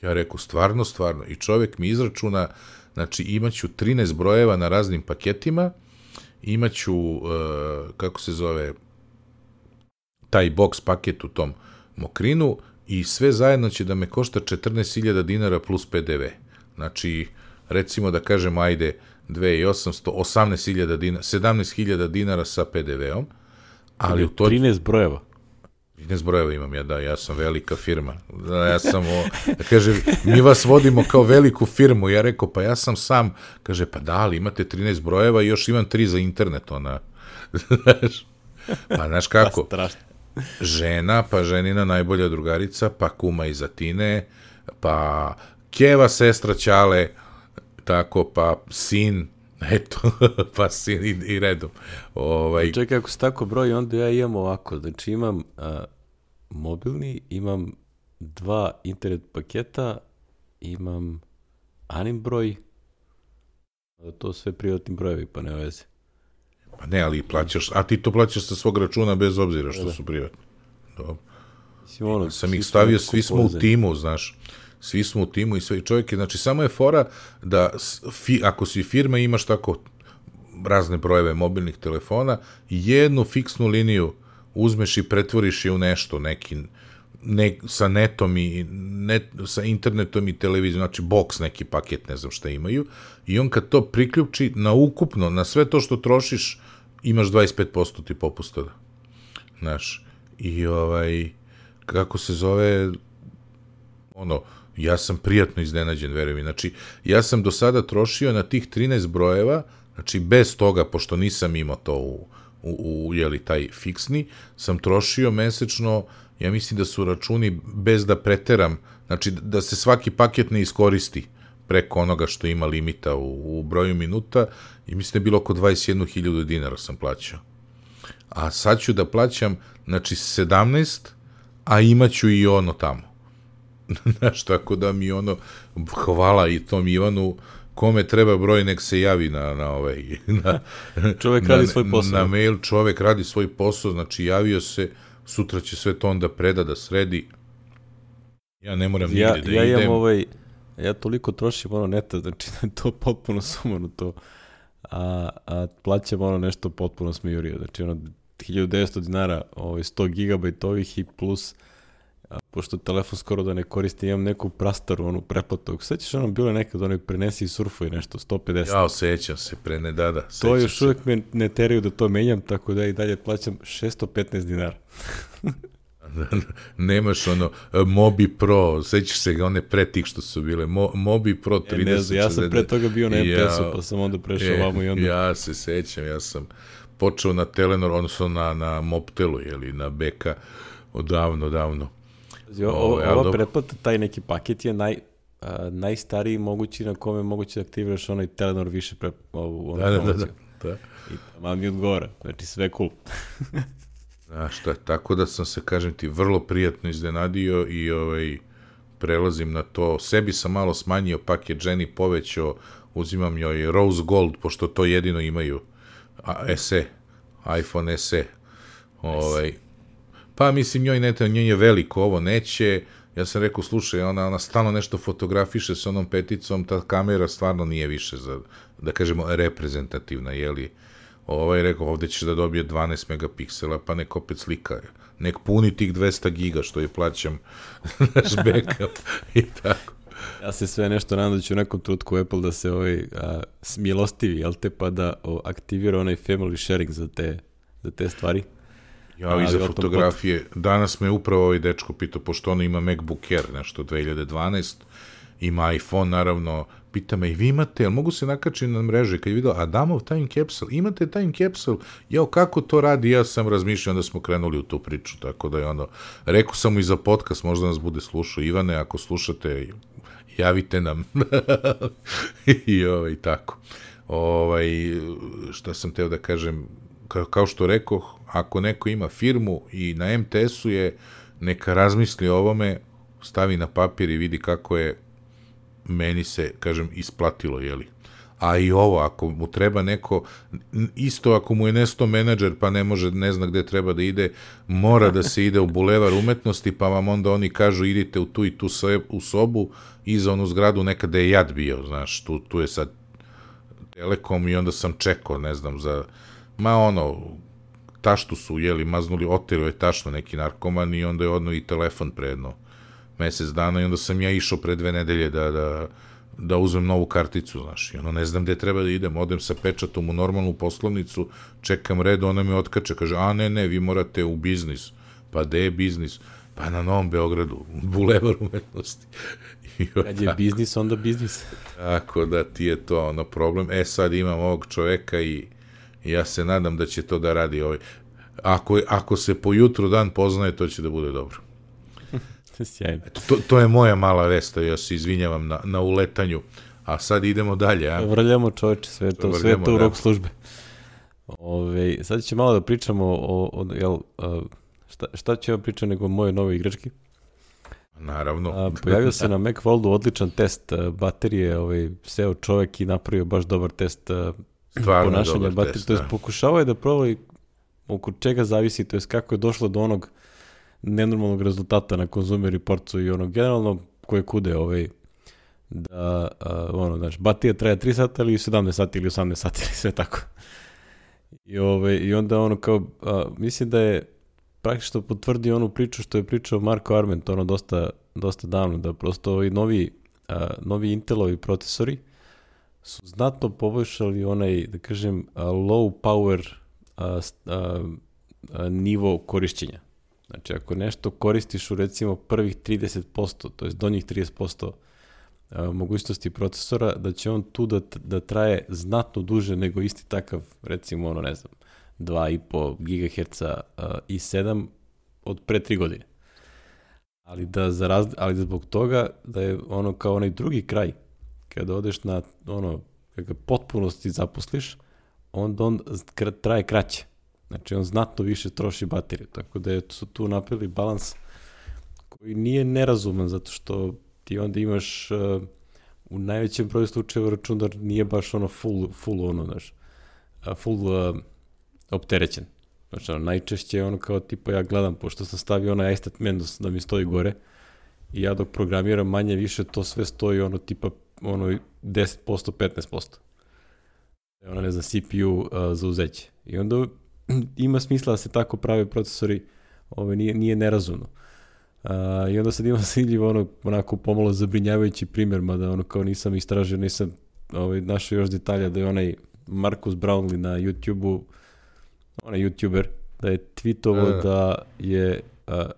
Ja rekao, stvarno, stvarno. I čovjek mi izračuna, znači imaću trinaest brojeva na raznim paketima, imaću, uh, kako se zove, taj box paket u tom Mokrinu i sve zajedno će da me košta četrnaest hiljada dinara plus pe de ve. Znači, recimo da kažem, ajde, dve hiljade osamsto, osamnaest hiljada dinara, sedamnaest hiljada dinara sa pe de veom, ali u to... trinaest brojeva. trinaest brojeva imam ja, da, ja sam velika firma. Da, ja sam, o, da kaže, mi vas vodimo kao veliku firmu. Ja rekao, pa ja sam sam, kaže, pa da, ali imate trinaest brojeva i još imam tri za internet, ona. Znaš, pa znaš kako? Žena, pa ženina najbolja drugarica, pa kuma iz Atine, pa keva sestra Ćale, tako, pa sin, eto, pa sin i, i redom. Ovaj... Čekaj, ako se tako broji, onda ja imam ovako, znači imam a, mobilni, imam dva internet paketa, imam anim broj, to sve privatni brojevi, pa ne veze. Pa ne, ali plaćaš, a ti to plaćaš sa svog računa bez obzira što da. Su privatni. Dobro. Mislim, ono, ja sam ih stavio, svi smo u timu, znaš. Svi smo u timu i sve čovjek je, znači samo je fora da fi, ako si firma imaš tako razne brojeve mobilnih telefona, jednu fiksnu liniju uzmeš i pretvoriš je u nešto, neki, ne, sa netom i net, sa internetom i televizijom, znači box neki paket, ne znam šta imaju, i on kad to priključi na ukupno, na sve to što trošiš, imaš dvadeset pet posto ti popusta. Znaš, i ovaj, kako se zove, ono, ja sam prijatno iznenađen, verujem mi. Znači, ja sam do sada trošio na tih trinaest brojeva, znači bez toga, pošto nisam imao to u, u, u jeli, taj fiksni, sam trošio mesečno, ja mislim da su računi bez da preteram, znači da se svaki paket ne iskoristi preko onoga što ima limita u, u broju minuta, i mislim da je bilo oko dvadeset jednu hiljadu dinara sam plaćao. A sad ću da plaćam, znači, sedamnaest, a imaću i ono tamo. Znaš, tako da mi ono, hvala i tom Ivanu, kome treba broj, nek se javi na, na ovaj, na, čovjek radi na, svoj posao. Na mail, čovjek radi svoj posao, znači javio se, sutra će sve to onda preda da sredi. Ja ne moram ja, nigde da ja idem. Imam ovaj, ja toliko trošim ono neta, znači da je to potpuno sumano to, a, a plaćam ono nešto potpuno smijurio, znači ono hiljadu devetsto dinara, ovaj, sto gigabajtovih i plus, a, pošto telefon skoro da ne koristim, imam neku prastaru, onu pretplatu. Sećaš, ono bilo nekad, ono prenesi i surfuj nešto, sto pedeset. Ja, sećam se, pre ne dada. To još se. Uvijek me ne teraju da to menjam, tako da i dalje plaćam šesto petnaest dinara. Nemaš ono, Mobi Pro, sećaš se ga one pre tih što su bile, Mo, Mobi Pro trideset. Ja, ne znam, ja sam pre toga bio na em te esu, ja, pa sam onda prešao vamo i onda. Ja se sećam, ja sam počeo na Telenor, odnosno na, na Mobtelu, jeli, na Beka, odavno, davno. O, ova ova pretplata, taj neki paket je naj, a, najstariji mogući na kome moguće da aktiviraš onaj Telenor više pre, ovu, da, da, da, da, da. I tamo mi odgovara, znači sve cool. Znaš šta, tako da sam se, kažem ti, vrlo prijatno iznenadio i ovaj, prelazim na to. Sebi sam malo smanjio paket, ženi povećao, uzimam joj Rose Gold, pošto to jedino imaju. A, es e, iPhone es e. Ovaj, pa mislim, njoj, ne, njoj je veliko, ovo neće. Ja sam rekao, slušaj, ona, ona stalno nešto fotografiše s onom peticom, ta kamera stvarno nije više za, da kažemo, reprezentativna, jeli. Ovaj rekao, ovde ćeš da dobije dvanaest megapiksela, pa nek opet slika. Nek puni tih dvesta giga što je plaćam naš backup i tako. Ja se sve nešto nadam da će u nekom trutku Apple da se ovaj, a, smilostivi, jel te, pa da o, aktivira onaj family sharing za te, za te stvari. Ja, i za fotografije. Pot... Danas me upravo ovaj dečko pitao, pošto ono ima MacBook Air, nešto dve hiljade dvanaeste, ima iPhone, naravno, pita me, i vi imate, jel mogu se nakačiti na mreže? Kad je vidio, Adamov time capsule, imate time capsule? Jao, kako to radi? Ja sam razmišljao, onda smo krenuli u tu priču, tako da je ono, rekao sam mu i za podcast, možda nas bude slušao. Ivane, ako slušate, javite nam. I ovaj, tako. Ovaj, šta sam teo da kažem, ka, kao što rekoh, ako neko ima firmu i na em te esu je, neka razmisli o ovome, stavi na papir i vidi kako je meni se, kažem, isplatilo, jeli. A i ovo, ako mu treba neko, isto ako mu je nesto menadžer, pa ne može, ne zna gde treba da ide, mora da se ide u bulevar umetnosti, pa vam onda oni kažu, idite u tu i tu u sobu, iza onu zgradu, nekada je jad bio, znaš, tu, tu je sad Telekom i onda sam čekao, ne znam, za, ma ono, taštu su, jeli, maznuli, oterio je tašno neki narkoman i onda je odno i telefon pre jedno mesec dana i onda sam ja išao pre dve nedelje da, da, da uzmem novu karticu, znaš, i ono, ne znam gde treba da idem, odem sa pečatom u normalnu poslovnicu, čekam red, ona me otkače, kaže, a ne, ne, vi morate u biznis, pa gde je biznis? Pa na Novom Beogradu, bulevar umetnosti. Kad je biznis, onda biznis. Tako da ti je to ono problem. E, sad imam ovog čoveka i ja se nadam da će to da radi ovaj. Ako, ako se po jutru dan poznaje, to će da bude dobro. Eto, to, to je moja mala vesta, ja se izvinjavam na, na uletanju, a sad idemo dalje. A? Vrljamo čoveče, sve to, Vrljamo, sve to u rok službe. Ove, sad će malo da pričamo o, o jel, šta, šta će vam pričati nego o moje nove igrački? Naravno. A, pojavio se na Macworldu odličan test baterije, ovaj, seo čovek i napravio baš dobar test Stvarno ponašanja dobar baterije, test, to je da. Pokušavao je da provali oko čega zavisi, to je kako je došlo do onog nenormalnog rezultata na Consumer Reportsu i ono generalno koje kude ovaj, da a, ono, znaš, baterija traje tri sata ili sedamnaest sati ili osamnaest sati ili sve tako. I, ovaj, i onda ono kao, a, mislim da je praktično potvrdio onu priču što je pričao Marko Arment, ono dosta, dosta davno, da prosto ovi novi, a, novi Intelovi procesori su znatno poboljšali onaj, da kažem, a, low power a, a, a, nivo korišćenja. Znači, ako nešto koristiš u recimo prvih trideset posto, to je donjih trideset posto a, mogućnosti procesora, da će on tu da, da traje znatno duže nego isti takav, recimo, ono, ne znam, dva i po gigaherca uh, i sedam od pre tri godine. Ali da za raz... ali zbog toga da je ono kao onaj drugi kraj, kada odeš na ono, kada potpunosti zaposliš, onda on traje kraće. Znači on znatno više troši bateriju, tako da su tu napravili balans koji nije nerazuman, zato što ti onda imaš uh, u najvećem broju slučajeva računar nije baš ono full, full ono, znaš, uh, full uh, opterećen. Znači, ono, najčešće je ono kao tipa ja gledam, pošto sam stavio onaj iStat Mendos da mi stoji gore i ja dok programiram manje više to sve stoji ono tipa ono deset posto, petnaest posto. Ono ne znam, C P U uh, za uzeće. I onda ima smisla da se tako prave procesori, ove, nije, nije nerazumno. Uh, I onda sad imam zanimljivo ono, onako pomalo zabrinjavajući primjer, mada ono kao nisam istražio, nisam ovaj, našao još detalja da je onaj Marcus Brownlee na YouTube-u, onaj YouTuber, da je tweetovao da je, a,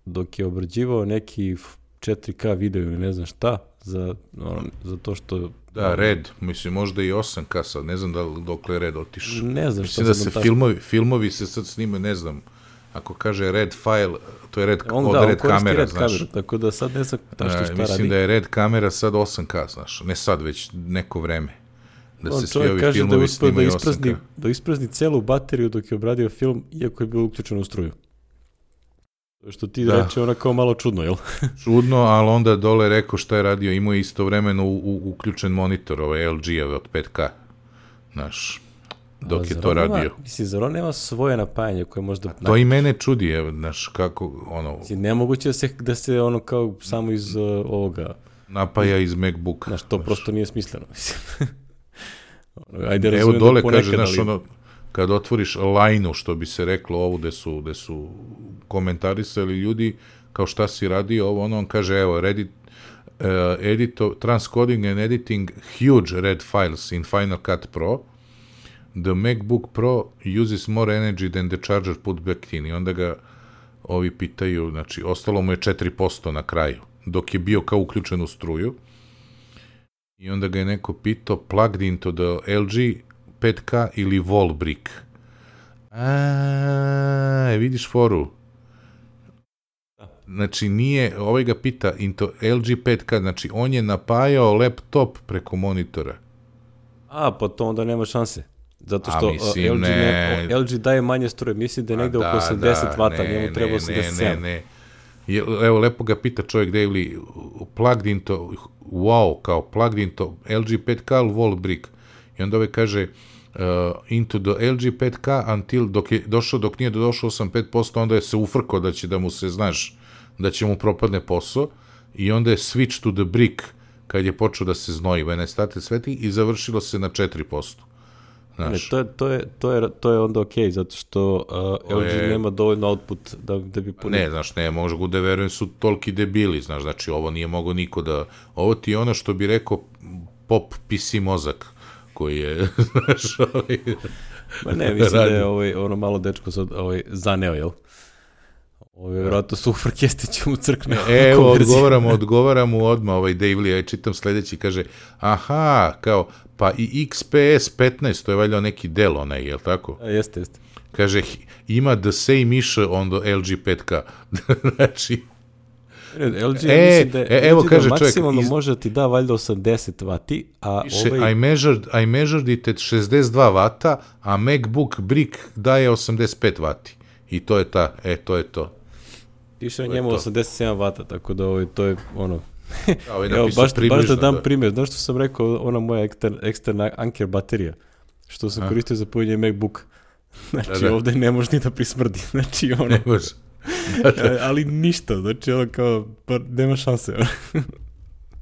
dok je obrađivao neki četiri K video ili ne znam šta, za, ono, za to što... Da, Red, mislim, možda i osam K sad, ne znam da dokle je Red otišao. Ne znam mislim da se filmovi, filmovi se sad snimaju, ne znam, ako kaže Red file, to je Red, on, od da, Red kamera, red znaš. Kameru, tako da sad ne znam šta, šta mislim radi. da je Red kamera sad osam K, znaš, ne sad, već neko vreme. Da on se svi ovi kaže filmovi da uspio da isprazni, osam K. da isprazni celu bateriju dok je obradio film, iako je bilo uključeno u struju. Što ti da. reče ona kao malo čudno, jel? Čudno, ali onda dole rekao šta je radio, imao je istovremeno u, u, uključen monitor, ovaj L G-ove od pet K, znaš, dok A, je to radio. Nema, misli, zar on nema svoje napajanje koje možda... A to i mene čudi, je, znaš, kako, ono... Misli, nemoguće da se, da se ono kao samo iz uh, ovoga... Napaja iz MacBooka. Znaš, to znaš. Prosto nije smisleno, mislim. ono, ajde, evo dole da kaže, znaš, ali... ono, kad otvoriš lajnu, što bi se reklo ovu, gde su, gde su komentarisali ljudi, kao šta si radio, ovo, ono, on kaže, evo, Reddit, edito, transcoding and editing huge red files in Final Cut Pro. The MacBook Pro uses more energy than the charger put back in. I onda ga ovi pitaju, znači, ostalo mu je četiri posto na kraju, dok je bio kao uključen u struju. I onda ga je neko pitao, plugged into the L G pet K ili wall brick. A, vidiš foru. Znači, nije, ovaj ga pita into L G pet K, znači, on je napajao laptop preko monitora. A, pa to onda nema šanse. Zato što A, mislim, L G, ne... L G daje manje struje, misli da je negde oko osamdeset vata, njemu treba osamdeset sedam. Ne, ne, ne. Evo, lepo ga pita čovjek da je li plugged into, wow, kao plugged into L G pet K ili wall brick. I onda ovaj kaže, uh, into the L G pet K until, dok je došao, dok nije došao osam pet posto, onda je se ufrkao da će da mu se, znaš, da će mu propadne posao, i onda je switch to the brick, kad je počeo da se znoji, when I started sweating, i završilo se na četiri posto. Ne, to, je, to, je, to, je, to je onda okej, okay, zato što uh, L G je, nema dovoljno output da, da bi punio. Ne, znaš, ne, možda da verujem su toliki debili, znaš, znači ovo nije mogo niko da, ovo ti je ono što bi rekao pop P C mozak, koji je, znaš, ovaj... Ma ne, mislim radi. Da je ovaj, ono malo dečko sad ovaj, zaneo, jel? Ovo je vjerojatno Super Kestić mu crkne. E, evo, odgovaramo, odgovaramo odmah, ovaj Dave Lee, ja čitam sledeći, kaže, aha, kao, pa i X P S petnaest, to je valjda neki del onaj, jel tako? A, jeste, jeste. Kaže, ima the same issue on the L G pet K. Znači... L G, e, mislim da, e, evo, kaže čovjek, maksimalno iz... može ti da valjda osamdeset vati, a Piše, ovaj... I measured, I measured it at šezdeset dva vata, a MacBook Brick daje osamdeset pet vati. I to je ta, e, to je to. Piše na njemu osamdeset sedam vata, tako da ovaj, to je ono... Evo, baš, baš da dam da. primjer, znaš što sam rekao, ona moja eksterna, eksterna Anker baterija, što sam a? koristio za punjenje MacBook. Znači, da, da. ovde ne može ni da prismrdi, znači ono... Ne može. Da, da. Ali ništa, znači ono kao, pa nema šanse.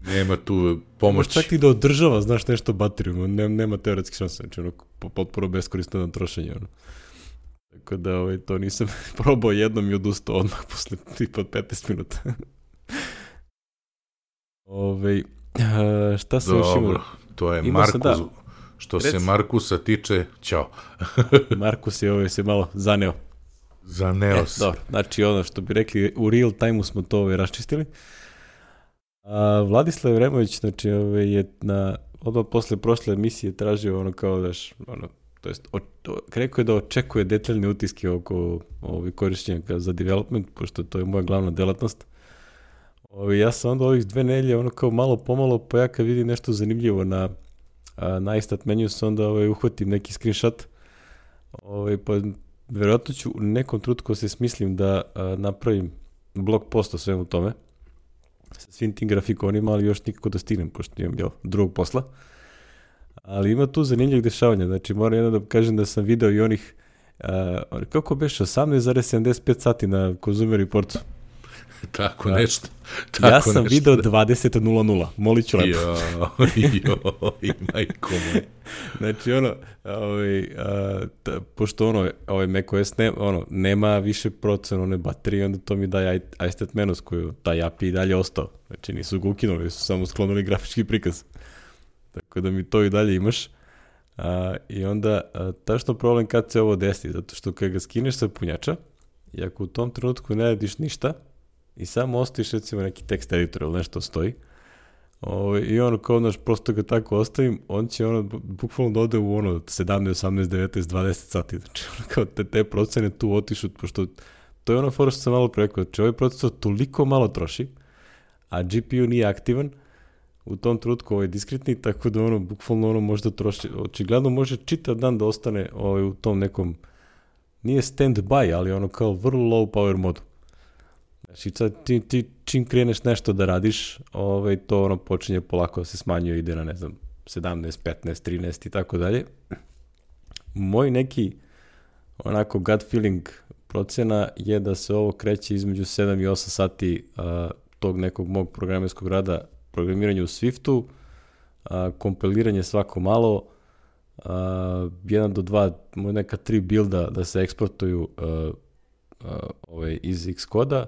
Nema tu pomoći. Čak i da održava, znaš, nešto bateriju, nema, nema teoretski šanse, znači ono, potpuno beskorisno na trošenje, ono. Tako da, ovaj, to nisam probao jednom i odustao odmah posle tipa petnaest minuta. Ove, uh, šta se još imao? To je Markus, da, što rec... se Markusa tiče, ćao. Markus je ovaj se malo zaneo. Zaneo se. Dobro, znači ono što bi rekli, u real time-u smo to ovaj raščistili. A, Vladislav Vremović, znači ovaj, je na, odmah posle prošle emisije tražio ono kao daš, ono, to jest, o, o, rekao je da očekuje detaljne utiske oko ovaj, korišćenja za development, pošto to je moja glavna delatnost. Ovi, ja sam onda ovih dve nelje, ono kao malo pomalo, pa ja kad vidim nešto zanimljivo na, a, na iStat menu, sam onda ovaj, uhvatim neki screenshot, ovaj, pa verovatno ću u nekom trenutku se smislim da a, napravim blog post o svemu tome, sa svim tim grafikonima, ali još nikako da stignem, pošto imam jel, drugog posla. Ali ima tu zanimljivih dešavanja, znači moram jedno da kažem da sam video i onih, a, kako beše, osamnaest zarez sedamdeset pet sati na Consumer Reportu. Tako nešto. Tako ja sam nešto, video dvadeset nula nula, molit ću lepo. Jo, jo, i majko moj. Znači ono, ovaj, a, ta, pošto ono, ovaj macOS ne, ono, nema više procena one baterije, onda to mi daje iStat menus koju taj A P I i dalje ostao. Znači nisu ga ukinuli, su samo sklonili grafički prikaz. Tako da mi to i dalje imaš. A, I onda, a, tačno problem kad se ovo desi, zato što kad ga skineš sa punjača, i ako u tom trenutku ne radiš ništa, i samo ostaviš recimo neki tekst editor ili nešto stoji, o, i ono kao znaš, prosto ga tako ostavim, on će ono bukvalno da ode u ono sedamnaest, osamnaest, devetnaest, dvadeset sati, znači ono kao te, te procene tu otišu, pošto to je ono fora što sam malo preko, znači ovaj procesor toliko malo troši, a G P U nije aktivan, u tom trenutku ovaj diskretni, tako da ono bukvalno ono možda troši, očigledno može čitav dan da ostane ovaj, u tom nekom, nije stand by, ali ono kao vrlo low power modu. Znači, ti, ti čim kreneš nešto da radiš, ovaj, to ono počinje polako da se smanjuje, ide na, ne znam, sedamnaest, petnaest, trinaest i tako dalje. Moj neki, onako, gut feeling procena je da se ovo kreće između sedam i osam sati a, tog nekog mog programerskog rada, programiranje u Swiftu, a, kompiliranje svako malo, a, jedan do dva, neka tri builda da se eksportuju a, a, ovaj, iz Xcoda,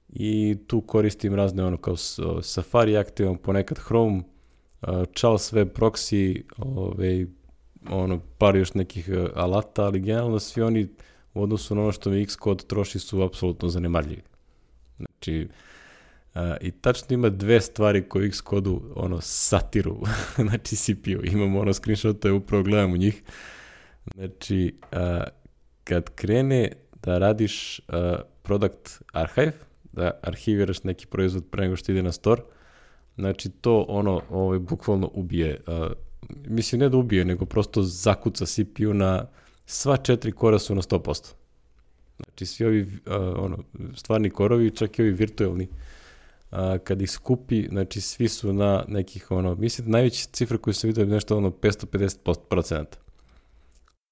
i tu koristim razne ono kao Safari aktivam, ponekad Chrome, Charles Web Proxy, ove, ono, par još nekih alata, ali generalno svi oni u odnosu na ono što mi Xcode troši su apsolutno zanemarljivi. Znači, a, i tačno ima dve stvari koje Xcode-u ono, satiru, znači C P U. Imamo ono screenshot-a, upravo gledam u njih. Znači, a, kad krene da radiš a, product archive, da arhiviraš neki proizvod pre nego što ide na store, znači to ono ovaj, bukvalno ubije, uh, mislim ne da ubije, nego prosto zakuca C P U na sva četiri kora su na sto posto. Znači svi ovi uh, ono, stvarni korovi, čak i ovi virtualni, uh, kad ih skupi, znači svi su na nekih, ono, mislim najveća cifra koju sam vidio je nešto ono petsto pedeset procenta.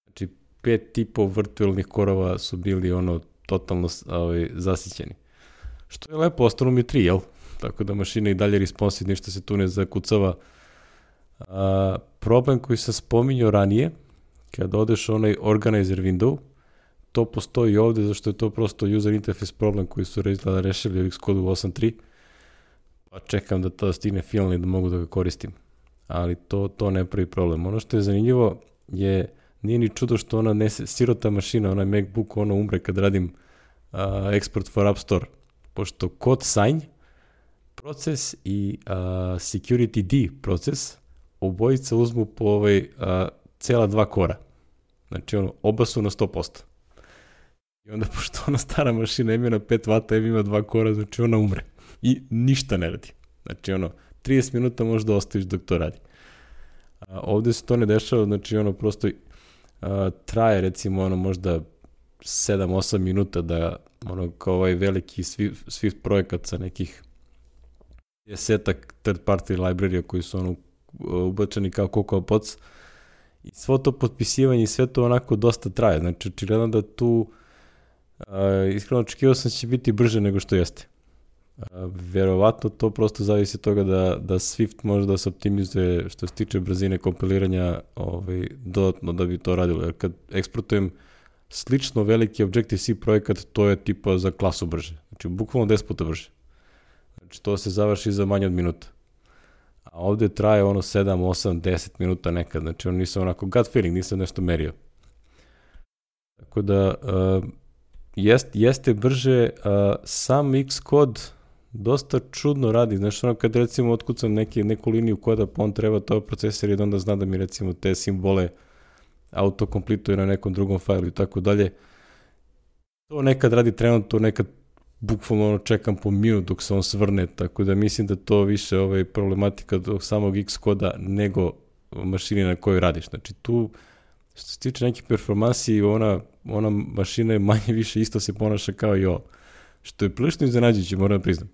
Znači pet tipov virtualnih korova su bili ono totalno ovaj, zasićeni. Što je lepo, ostalo mi tri, jel? Tako da mašina i dalje responsive, ništa se tu ne zakucava. A, problem koji sam spominjao ranije, kada odeš onaj organizer window, to postoji ovde, zašto je to prosto user interface problem koji su izgleda rešili u Xcode u osam tri, pa čekam da to stigne finalni da mogu da ga koristim. Ali to, to ne pravi problem. Ono što je zanimljivo je, nije ni čudo što ona ne, sirota mašina, onaj MacBook, ono umre kad radim uh, export for App Store, pošto kod sign proces i uh, security D proces obojica uzmu po ovaj uh, cela dva kora. Znači ono, oba su na sto posto. I onda, pošto ona stara mašina ima na pet vata, ima dva kora, znači ona umre. I ništa ne radi. Znači ono, trideset minuta možda ostaviš dok to radi. A, ovde se to ne dešava, znači ono, prosto a, traje recimo ono možda sedam osam minuta da ono kao ovaj veliki Swift, Swift projekat sa nekih desetak third party librarija koji su ono ubačeni kao Cocoa Pods i svo to potpisivanje i sve to onako dosta traje. Znači očigledno da tu a, iskreno očekivao sam će biti brže nego što jeste. A, verovatno to prosto zavisi od toga da, da Swift može da se optimizuje što se tiče brzine kompiliranja ovaj, dodatno da bi to radilo. Jer kad eksportujem slično veliki Objective-C projekat, to je tipa za klasu brže. Znači bukvalno deset puta brže. Znači to se završi za manje od minuta. A ovde traje ono sedam, osam, deset minuta nekad. Znači on nisam onako gut feeling, nisam nešto merio. Tako da uh, jest, jeste brže, uh, sam Xcode dosta čudno radi. Znači ono kad recimo otkucam neki, neku liniju koda, pa on treba to procesor i onda zna da mi recimo te simbole autokompletuje na nekom drugom failu i tako dalje. To nekad radi trenutno, nekad bukvalno ono čekam po minut dok se on svrne, tako da mislim da to više ovaj problematika do samog Xcode-a nego mašine na kojoj radiš. Znači tu, što se tiče nekih performansi, ona, ona mašina je manje više isto se ponaša kao i ovo. Što je prilično iznenađujuće, moram da priznam.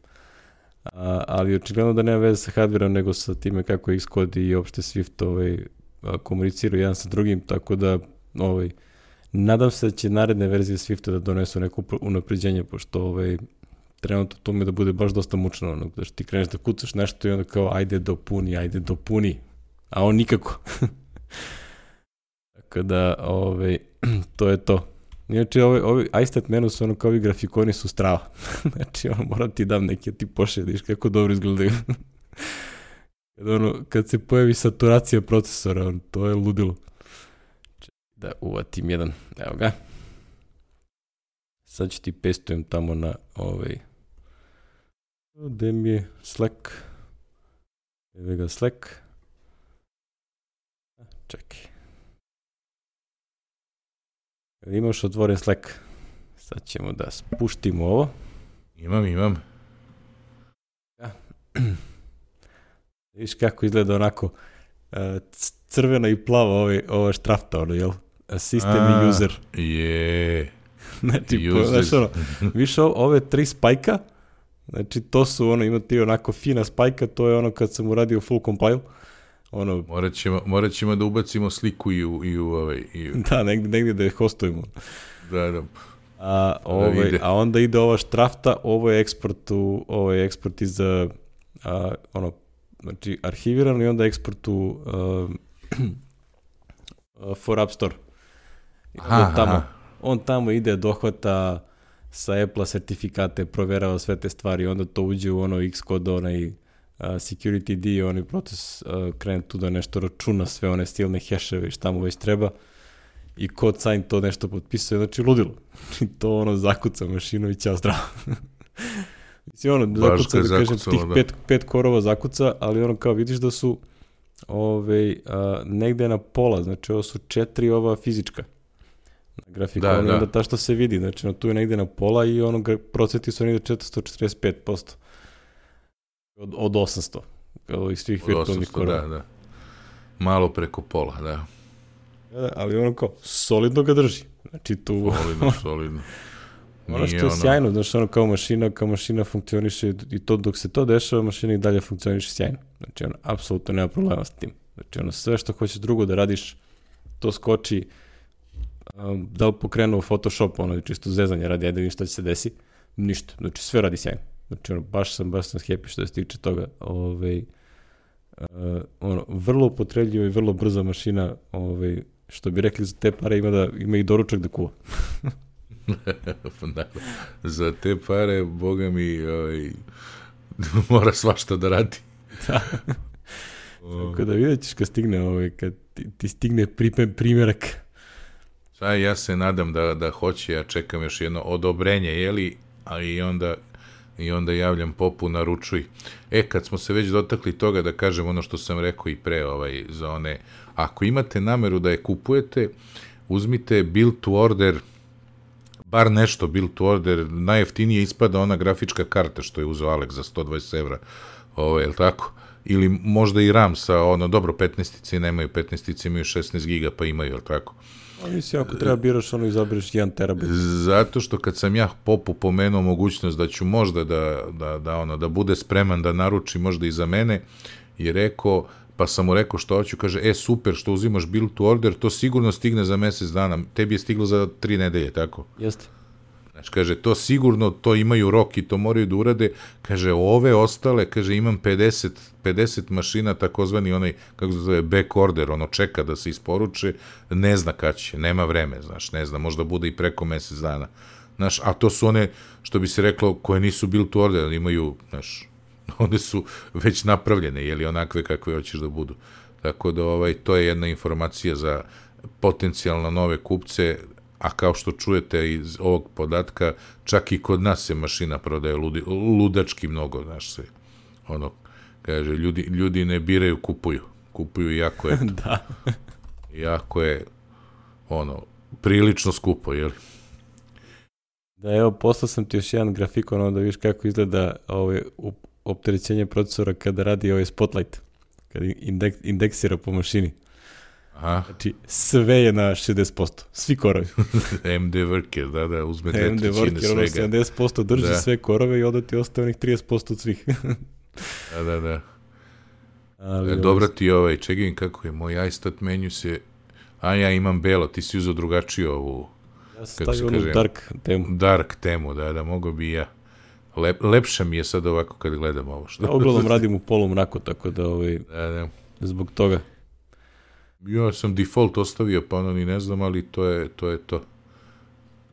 A, ali očigledno da nema veze sa hardverom, nego sa time kako Xcode i opšte Swift ovaj, komuniciraju jedan sa drugim, tako da ovaj, nadam se da će naredne verzije Swifta da donesu neko unapređenje, pošto ovaj, trenutno to mi da bude baš dosta mučno, ono, da što ti kreneš da kucaš nešto i onda kao ajde dopuni, ajde dopuni, a on nikako. Tako da, ovaj, to je to. Inače, ovi, ovi iStat menu su ono kao ovi grafikoni su strava. Znači, ono, moram ti dam neki, ti pošediš kako dobro izgledaju. Kad, ono, kad se pojavi saturacija procesora, on, to je ludilo. Da uvatim jedan, evo ga. Sad ću ti pastujem tamo na ovaj, gde mi je Slack. Evo ga Slack. Čekaj. Imaš otvoren Slack. Sad ćemo da spuštimo ovo. Imam, imam. Ja. Viš kako izgleda onako uh, crvena i plava ovaj, ova štrafta, ono, jel? System i user. Je. Znači, po, znaš, ono, više ove tri spajka, znači to su, ono, ima ti onako fina spajka, to je ono kad sam uradio full compile. Ono, morat, ćemo, morat ćemo da ubacimo sliku i u, i u ovaj... I u... Da, negdje, negdje da je hostujemo. Da, da. A, ovaj, a onda ide ova štrafta, ovo je eksport, u, ovo je eksport iz, a, ono, znači, arhivirano i onda eksport u uh, for App Store. I onda on tamo, on tamo ide, dohvata sa Apple-a sertifikate, proverava sve te stvari, onda to uđe u ono Xcode, onaj uh, security D, onaj proces uh, krene tu da nešto računa, sve one stilne heševe i šta mu već treba i kod sign to nešto potpisuje, znači ludilo. I to ono zakuca mašinu i ćao zdravo. Mislim, ono, zakuca, da kažem, tih da. pet, pet korova zakuca, ali ono kao vidiš da su ove, a, negde na pola, znači ovo su četiri ova fizička na grafikonu, da, da. Onda ta što se vidi, znači no, tu je negde na pola i ono procenti su negde četiristo četrdeset pet posto od, od osamsto, kao i svih virtualnih korova. Da, da. Malo preko pola, da. Da, ali ono kao, solidno ga drži. Znači tu... Solidno, solidno. Ono što je ono... sjajno, znači ono kao mašina, kao mašina funkcioniše i to dok se to dešava, mašina i dalje funkcioniše sjajno. Znači ono, apsolutno nema problema s tim. Znači ono, sve što hoćeš drugo da radiš, to skoči, um, da li pokrenu u Photoshop, ono, čisto zezanje radi, ajde vidim šta će se desi, ništa, znači sve radi sjajno. Znači ono, baš sam, baš sam happy što se tiče toga, ovaj, uh, ono, vrlo upotrebljiva i vrlo brza mašina, ovaj, što bi rekli za te pare ima, da, ima i doručak da kuva. Da, za te pare, boga mi, ovaj, mora svašta da radi. Da. Tako da vidjet ćeš kad stigne, ovaj, kad ti, ti stigne priprem, primjerak. Sada ja se nadam da, da hoće, ja čekam još jedno odobrenje, jeli, a i onda, i onda javljam popu, naručuj. E, kad smo se već dotakli toga, da kažem ono što sam rekao i pre, ovaj, za one, ako imate nameru da je kupujete, uzmite build to order, bar nešto build to order, najjeftinije ispada ona grafička karta što je uzeo Alex za sto dvadeset evra, ovo, je li tako? Ili možda i RAM sa, ono, dobro, petnaestice nemaju, petnaestice imaju šesnaest giga, pa imaju, je li tako? A mislim, ako treba biraš, ono, izabereš jedan terabit. Zato što kad sam ja popu pomenuo mogućnost da ću možda da, da, da, ono, da bude spreman da naruči možda i za mene, je rekao, pa sam mu rekao što hoću, kaže, e, super, što uzimaš build to order, to sigurno stigne za mesec dana, tebi je stiglo za tri nedelje, tako? Jeste. Znači, kaže, to sigurno, to imaju rok i to moraju da urade, kaže, ove ostale, kaže, imam pedeset, pedeset mašina, takozvani onaj, kako se zove, back order, ono čeka da se isporuče, ne zna kad će, nema vreme, znaš, ne zna, možda bude i preko mesec dana, znaš, a to su one, što bi se reklo, koje nisu build to order, imaju, znaš, one su već napravljene, jeli onakve kakve hoćeš da budu. Tako da ovaj, to je jedna informacija za potencijalno nove kupce, a kao što čujete iz ovog podatka, čak i kod nas se mašina prodaje ludi, ludački mnogo, znaš se. Ono, kaže, ljudi, ljudi ne biraju, kupuju. Kupuju jako je, da. jako je, ono, prilično skupo, jeli? Da, evo, poslao sam ti još jedan grafikon, ono da vidiš kako izgleda ovaj, opterećenje procesora kada radi ovaj Spotlight, kada indek, indeksira po mašini. Aha. Znači, sve je na šezdeset posto, svi korovi. M D Worker, da, da, uzme dve M D trećine Worker, ono sedamdeset posto drži da. Sve korove i onda ti ostaje onih trideset posto od svih. Da, da, da. Ali, e, dobra ti ovaj, čekaj kako je, moj iStat menu se, a ja imam belo, ti si uzao drugačiju ovu, ja sam stavio onu dark temu. Dark temu, da, da, mogo bi i ja. Lep, lepše mi je sad ovako kad gledam ovo. Što... Ja uglavnom radim u polumraku, tako da, ovaj, da, da. Zbog toga. Ja sam default ostavio, pa ono ni ne znam, ali to je to. Je to.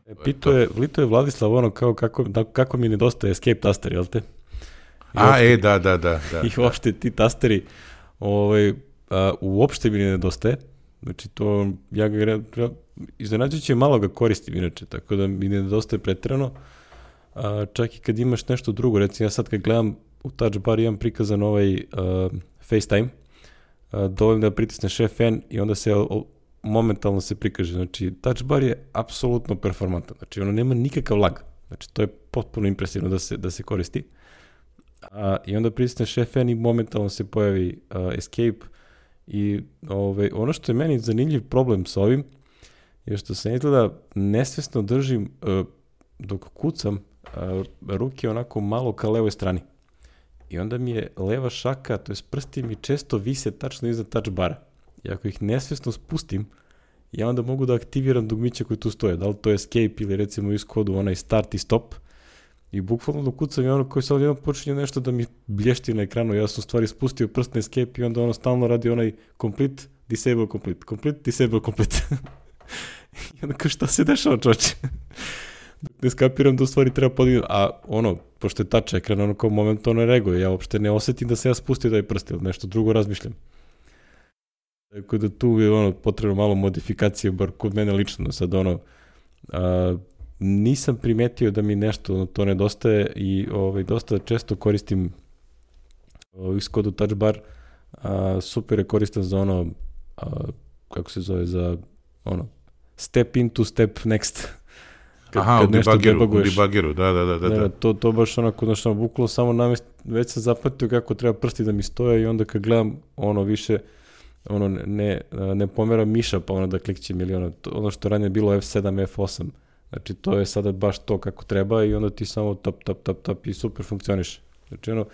E, pito je, Lito je Vladislav ono kao kako, da, kako mi nedostaje escape taster, jel te? I a, uopšte, e, da, da, da. da I uopšte ti tasteri ovaj, a, uopšte mi ne nedostaje. Znači to, ja ga iznenađujuće malo ga koristim inače, tako da mi ne nedostaje preterano. A, čak i kad imaš nešto drugo, recimo ja sad kad gledam u touch bar imam prikazan ovaj a, FaceTime, a, dovoljno da pritisneš F N i onda se o, momentalno se prikaže. Znači touch bar je apsolutno performantan, znači ono nema nikakav lag, znači to je potpuno impresivno da se, da se koristi. A, i onda pritisneš F N i momentalno se pojavi a, escape i ove, ono što je meni zanimljiv problem sa ovim je što se izgleda nesvesno držim a, dok kucam a, ruke onako malo ka levoj strani i onda mi je leva šaka, to je prsti mi često vise tačno iza touch bara i ako ih nesvesno spustim ja onda mogu da aktiviram dugmiće koje tu stoje, da li to je escape ili recimo u Xcodu onaj start i stop. I bukvalno dok kucam i ono koji sad jednom počinje nešto da mi blješti na ekranu, ja sam u stvari spustio prst na escape i onda ono stalno radi onaj complete, disable, complete, complete, disable, complete. I onda kao šta se dešava, čoče? ne skapiram da u stvari treba podignuti, a ono, pošto je touch ekran, ono kao momentalno reaguje, ja uopšte ne osetim da se ja spustio taj prst, ili nešto drugo razmišljam. Tako da tu je ono, potrebno malo modifikacije, bar kod mene lično, sad ono, a, nisam primetio da mi nešto ono, to nedostaje i ovaj, dosta često koristim ovaj, Skoda Touch Bar, a, super je koristan za ono, a, kako se zove, za ono, step into, step next. Kad, Aha, kad u debuggeru, u debuggeru, da, da, da. da, da. To, to baš onako, znaš, bukvalno samo namest, već sam zapatio kako treba prsti da mi stoje i onda kad gledam, ono, više, ono, ne, ne pomera miša, pa ono da klikćem ili ono, to, ono što ranije je bilo F sedam, F osam, znači to je sada baš to kako treba i onda ti samo tap, tap, tap, tap i super funkcioniš. Znači, ono,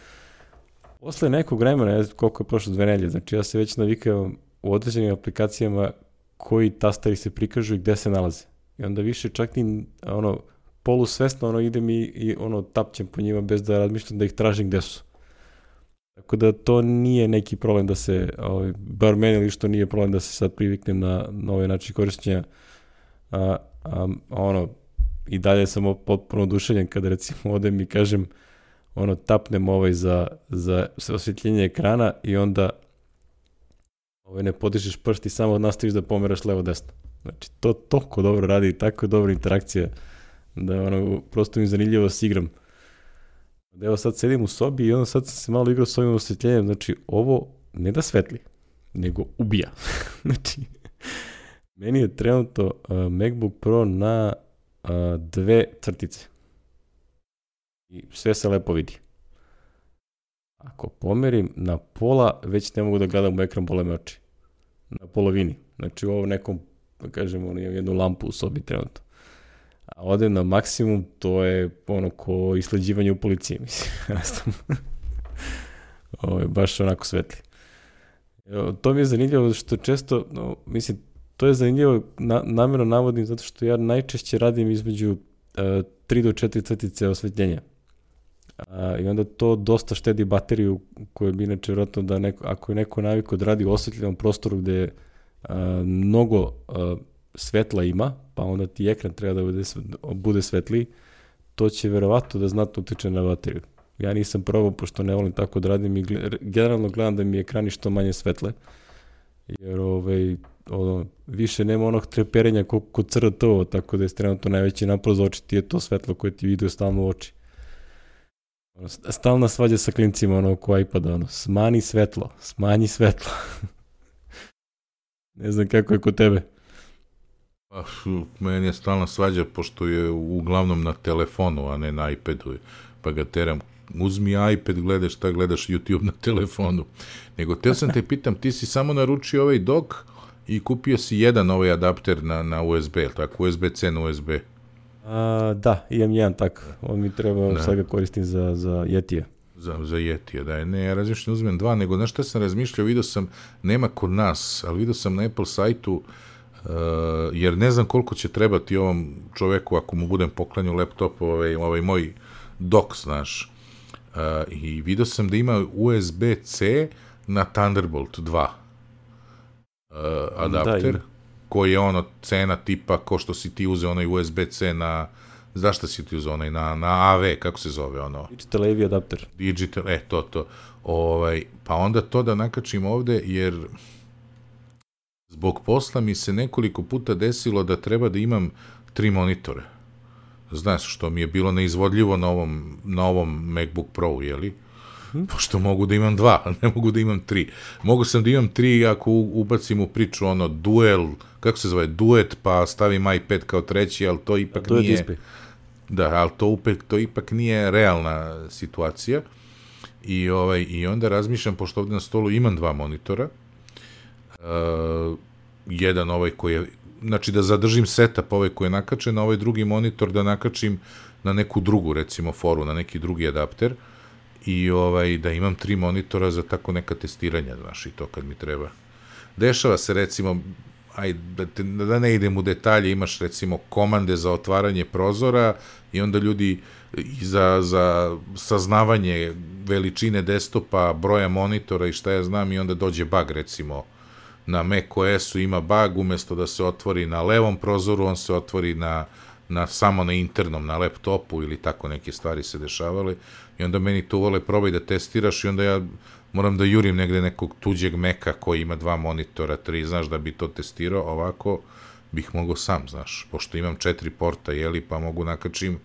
posle nekog vremena, ne znam koliko je prošlo dve nelje, znači ja se već navikao u određenim aplikacijama koji tastari se prikažu i gde se nalaze. I onda više čak i ono, polusvesno ono, idem i, i ono, tapćem po njima bez da razmišljam da ih tražim gde su. Tako da to nije neki problem da se, ovaj, bar meni ili što nije problem da se sad priviknem na, na ovaj način korišćenja. A, a, ono, i dalje sam potpuno oduševljen kada recimo odem i kažem, ono, tapnem ovaj za, za osvjetljenje ekrana i onda ovaj, ne podižeš prst i samo nastaviš da pomeraš levo-desno. Znači, to toliko dobro radi i tako dobra interakcija da ono, prosto mi zanimljivo se igram. Evo sad sedim u sobi i onda sad sam se malo igrao s ovim osvetljenjem, znači ovo ne da svetli, nego ubija. Znači, meni je trenutno uh, MacBook Pro na uh, dve crtice i sve se lepo vidi. Ako pomerim na pola, već ne mogu da gledam u ekran, bole me oči. Na polovini. Znači u ovom nekom, da kažemo, imam jednu lampu u sobi trenutno. A odem na maksimum, to je ono ko isleđivanje u policiji, mislim. Ovo je baš onako svetli. Evo, to mi je zanimljivo što često, no, mislim, to je zanimljivo, na, namjerno navodim, zato što ja najčešće radim između uh, tri do četiri crtice osvetljenja. A, i onda to dosta štedi bateriju koju bi inače vjerojatno da neko, ako je neko navikao da radi u osvetljenom prostoru gde a, mnogo a, svetla ima, pa onda ti ekran treba da bude, bude svetliji, to će verovatno da znatno utiče na bateriju. Ja nisam probao, pošto ne volim tako da radim i gled, generalno gledam da mi ekrani što manje svetle, jer ovaj, ono, više nema onog treperenja kod, kod C R T-ova, tako da je trenutno najveći napor za oči ti je to svetlo koje ti vidio stalno u oči. Stalna svađa sa klincima ono oko iPada, ono, smani svetlo, smanji svetlo. Ne znam kako je kod tebe. Pa, meni je stalna svađa, pošto je uglavnom na telefonu, a ne na iPadu, pa ga teram, uzmi iPad, gledaš šta gledaš YouTube na telefonu. Nego, teo sam te pitam, ti si samo naručio ovaj dock i kupio si jedan ovaj adapter na, na U S B, tako, U S B C na U S B. A, da, imam jedan tak. On mi treba, da. Sad ga koristim za, za Yetija. Za, za Yetija, da. Ne, ja razmišljam uzmem dva, nego na šta sam razmišljao, vidio sam, nema kod nas, ali vidio sam na Apple sajtu, uh, jer ne znam koliko će trebati ovom čoveku ako mu budem poklanjao laptop, ovaj, ovaj moj dock, znaš. Uh, I vidio sam da ima U S B C na Thunderbolt dva uh, adapter. Da, koji je ono cena tipa ko što si ti uzeo onaj U S B C na, zašto si ti uzeo onaj, na, na A V, kako se zove ono? Digital A V adapter. Digital, e, to, to. Ovaj, pa onda to da nakačim ovde, jer zbog posla mi se nekoliko puta desilo da treba da imam tri monitore. Znaš, što mi je bilo neizvodljivo na ovom, na ovom MacBook Pro, jeli? Pošto mogu da imam dva, ne mogu da imam tri. Mogu sam da imam tri ako ubacim u priču ono duel, kako se zove, duet, pa stavim iPad kao treći, ali to ipak to nije... Da, ali to, upek, to ipak nije realna situacija. I, ovaj, i onda razmišljam, pošto ovde na stolu imam dva monitora, uh, jedan ovaj koji je, znači da zadržim setup ovaj koji je nakačen, a ovaj drugi monitor da nakačim na neku drugu, recimo, foru, na neki drugi adapter, i ovaj, da imam tri monitora za tako neka testiranja, znaš, i to kad mi treba. Dešava se, recimo, aj, da, te, da ne idem u detalje, imaš, recimo, komande za otvaranje prozora i onda ljudi i za, za saznavanje veličine desktopa, broja monitora i šta ja znam, i onda dođe bug, recimo, na macOS-u ima bug, umesto da se otvori na levom prozoru, on se otvori na na, samo na internom, na laptopu ili tako neke stvari se dešavale i onda meni to vole probaj da testiraš i onda ja moram da jurim negde nekog tuđeg Meka koji ima dva monitora, tri, znaš, da bi to testirao, ovako bih mogao sam, znaš, pošto imam četiri porta, jeli, pa mogu nakačim,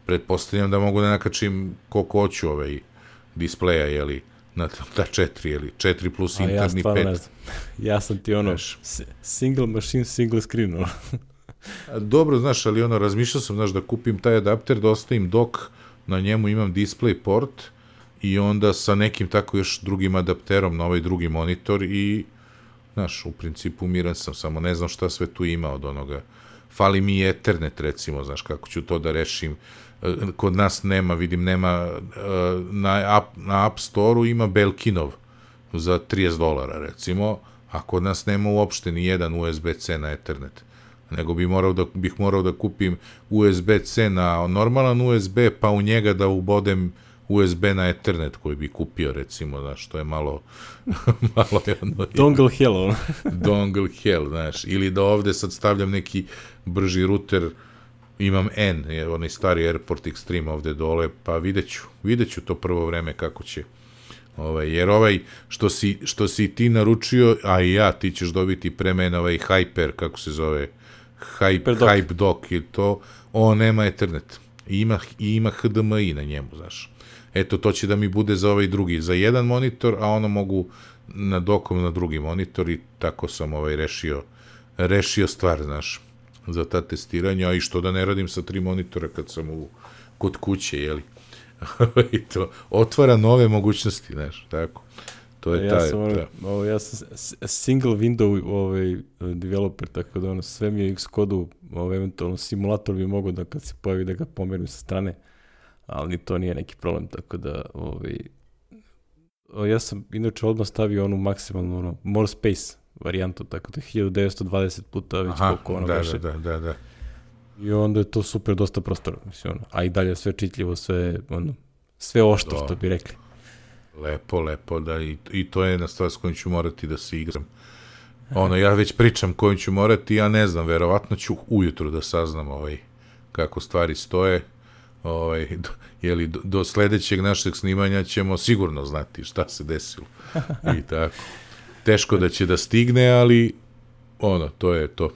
pretpostavljam da mogu da nakačim koliko hoću ovaj displeja, jeli, na ta četiri, jeli, četiri plus interni, ja stvarno pet. Ne znam. Ja sam ti ono, znaš, single machine, single screen, ono. Dobro, znaš, ali ono, razmišljao sam, znaš, da kupim taj adapter, da ostavim dok, na njemu imam display port i onda sa nekim tako još drugim adapterom na ovaj drugi monitor i, znaš, u principu miran sam, samo ne znam šta sve tu ima od onoga. Fali mi i Ethernet, recimo, znaš, kako ću to da rešim. Kod nas nema, vidim, nema, na, app, na App Store-u ima Belkinov za trideset dolara, recimo, a kod nas nema uopšte ni jedan U S B C na Ethernet. Nego bi morao da, bih morao da kupim U S B C na normalan U S B, pa u njega da ubodem U S B na Ethernet koji bi kupio, recimo, znaš, to je malo... malo jedno, dongle hell, ono. Dongle hell, znaš, ili da ovde sad stavljam neki brži ruter, imam N, onaj stari Airport Extreme ovde dole, pa vidjet ću, vidjet ću to prvo vreme kako će. Ovaj, jer ovaj, što si, što si ti naručio, a i ja, ti ćeš dobiti pre mene ovaj Hyper, kako se zove, Hype, Hype Dock, i to, on nema Ethernet. I ima, i ima H D M I na njemu, znaš. Eto, to će da mi bude za ovaj drugi, za jedan monitor, a ono mogu na dokom na drugi monitor i tako sam ovaj rešio, rešio stvar, znaš, za ta testiranja, a i što da ne radim sa tri monitora kad sam u, kod kuće, jeli. I to otvara nove mogućnosti, znaš, tako. To je ja taj, sam, ono, ta. ovo, ja sam single window ovaj, developer, tako da ono, sve mi je X-kodu, ovaj, eventualno simulator bi mogo da kad se pojavi da ga pomerim sa strane, ali ni to nije neki problem, tako da ovaj, ja sam inače odmah stavio onu maksimalnu, ono, more space varijantu, tako da hiljadu devetsto dvadeset puta već Aha, koliko ono da, veše. da, da, da. I onda je to super, dosta prostora, mislim, ono, a i dalje sve čitljivo, sve, ono, sve oštro, što bi rekli. Lepo, lepo, da, i, i to je jedna stvar s kojom ću morati da se igram. Ono, ja već pričam kojom ću morati, ja ne znam, verovatno ću ujutru da saznam ovaj, kako stvari stoje, ovaj, do, jeli, do, do sledećeg našeg snimanja ćemo sigurno znati šta se desilo. I tako. Teško da će da stigne, ali ono, to je to.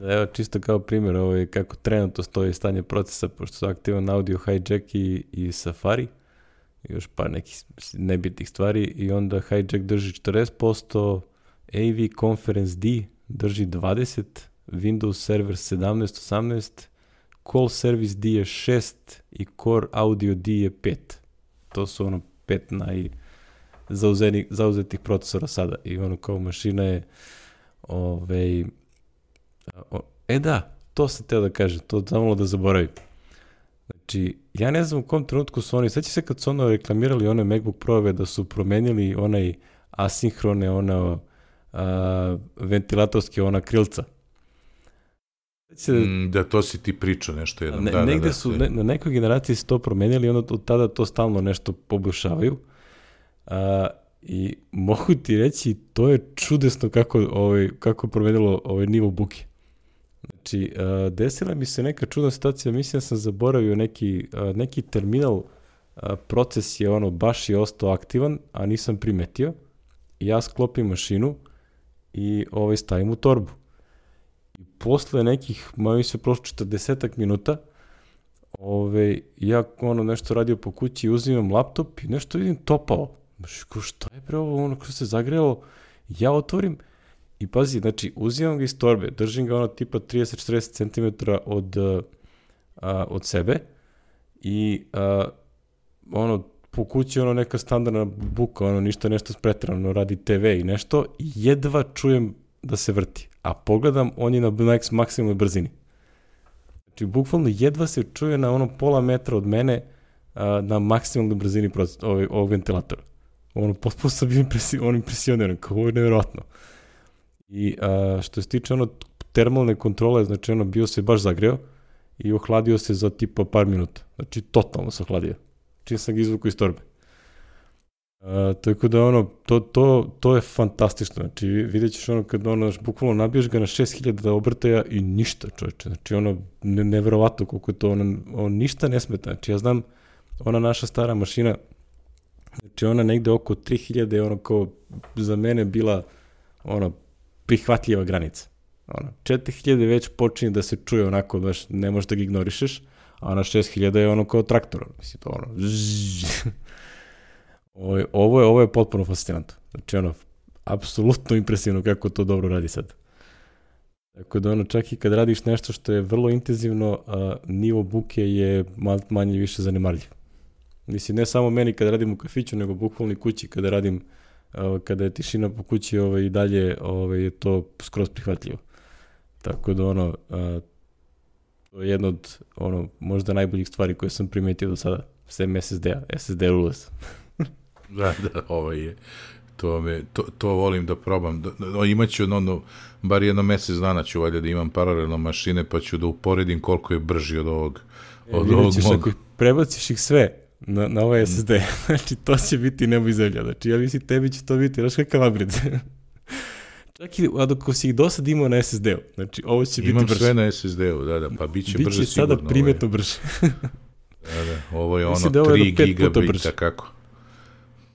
Evo, čisto kao primjer, ovaj, kako trenutno stoji stanje procesa, pošto su aktivan audio hijack i, i Safari, još par nekih nebitnih stvari, i onda hijack drži četrdeset posto, A V Conference D drži dvadeset, Windows Server sedamnaest osamnaest, Call Service D je šest i Core Audio D je pet. To su ono pet najzauzetih procesora sada. I ono kao mašina je ovaj, e da, to sam teo da kažem, to zamalo da zaboravim. Znači, ja ne znam u kom trenutku su oni, sveća se kad su ono reklamirali one MacBook Pro-ove da su promenili onaj asinhrone, ono a, ventilatorske, ona krilca. Se, mm, da, to si ti pričao nešto jednom. Ne, da, negde da, da, su, ne, na nekoj generaciji su to promenili i onda od tada to stalno nešto poboljšavaju. A, I mogu ti reći, to je čudesno kako, ovaj, kako je promenilo ovaj nivo buke. Znači, a, desila mi se neka čudna situacija, mislim da sam zaboravio neki, a, neki terminal, a, proces je ono, baš je ostao aktivan, a nisam primetio. I ja sklopim mašinu i ovaj, stavim u torbu. I posle nekih, moj se prošlo četrdesetak minuta, ove, ja ono nešto radio po kući, uzimam laptop i nešto vidim topao. Šta je pre ovo, ono što se zagrelo? Ja otvorim i pazi, znači uzimam ga iz torbe, držim ga ono tipa trideset do četrdeset centimetara od, a, od sebe i a, ono po kući ono neka standardna buka, ono ništa nešto spretrano, radi te ve i nešto, i jedva čujem da se vrti. A pogledam, on je na maksimalnoj brzini. Znači, bukvalno jedva se čuje na ono pola metra od mene a, na maksimalnoj brzini proces, ovog, ovog ventilatora. Ono, potpuno sam bio impresi, on impresioniran, kao ovo je nevjerojatno. I a, što se tiče ono termalne kontrole, znači ono bio se baš zagreo i ohladio se za tipa par minuta. Znači, totalno se ohladio. Čim sam ga izvukao iz torbe. A, tako da ono, to, to, to je fantastično, znači vidjet ćeš ono kad ono, bukvalno nabiješ ga na šest hiljada obrtaja i ništa čovječe, znači ono, ne, neverovatno koliko je to, ono, ono, ništa ne smeta, znači ja znam, ona naša stara mašina, znači ona negde oko tri hiljade je ono kao za mene bila ono prihvatljiva granica, ono, četiri hiljade već počinje da se čuje onako, baš ne možeš da ga ignorišeš, a na šest hiljada je ono kao traktor, mislim to ono, zzz. Ovo je, ovo je, ovo je potpuno fascinantno. Znači, ono, apsolutno impresivno kako to dobro radi sad. Tako da, ono, čak i kad radiš nešto što je vrlo intenzivno, a, nivo buke je manje više zanemarljiv. Mislim, ne samo meni kad radim u kafiću, nego bukvalno i kući kada radim, a, kada je tišina po kući ovaj, i dalje ovaj, je to skroz prihvatljivo. Tako da, ono, a, to je jedna od, ono, možda najboljih stvari koje sam primetio do sada. Sem es es de-a, es es de rules. Da, da, ovo je, to, me, to, to volim da probam. Da, imaću ono, bar jedno mesec dana ću valjda da imam paralelno mašine, pa ću da uporedim koliko je brži od ovog, od e, ovog ćeš, mog. Ako prebaciš ih sve na, na ovaj es es de, znači to će biti nebo i zemlja. Znači ja mislim tebi će to biti, znaš kakav upgrade. Čak i ako si ih do sad imao na es es de-u, znači ovo će imam biti brže. Imam sve na es es de-u, da, da, pa bit će Biće brže sigurno. Biće sada primetno brže. Da, da, ovo je mislim ono da tri je gigabita, kako?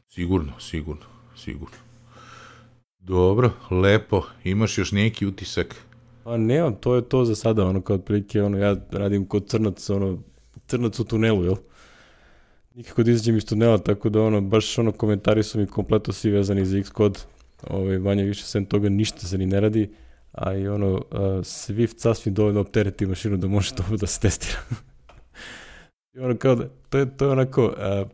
Sigurno, sigurno, sigurno. Dobro, lepo. Imaš još neki utisak? Pa nemam, to je to za sada, ono kao otprilike, ono, ja radim kod crnac, ono, crnac u tunelu, jel? Nikako da izađem iz tunela, tako da, ono, baš, ono, komentari su mi kompletno svi vezani za Xcode, ovaj, manje više, sem toga, ništa se ni ne radi, a i, ono, uh, Swift sasvim dovoljno optereti mašinu da može to da se testira. I ono, kao da, to je, to je onako, uh,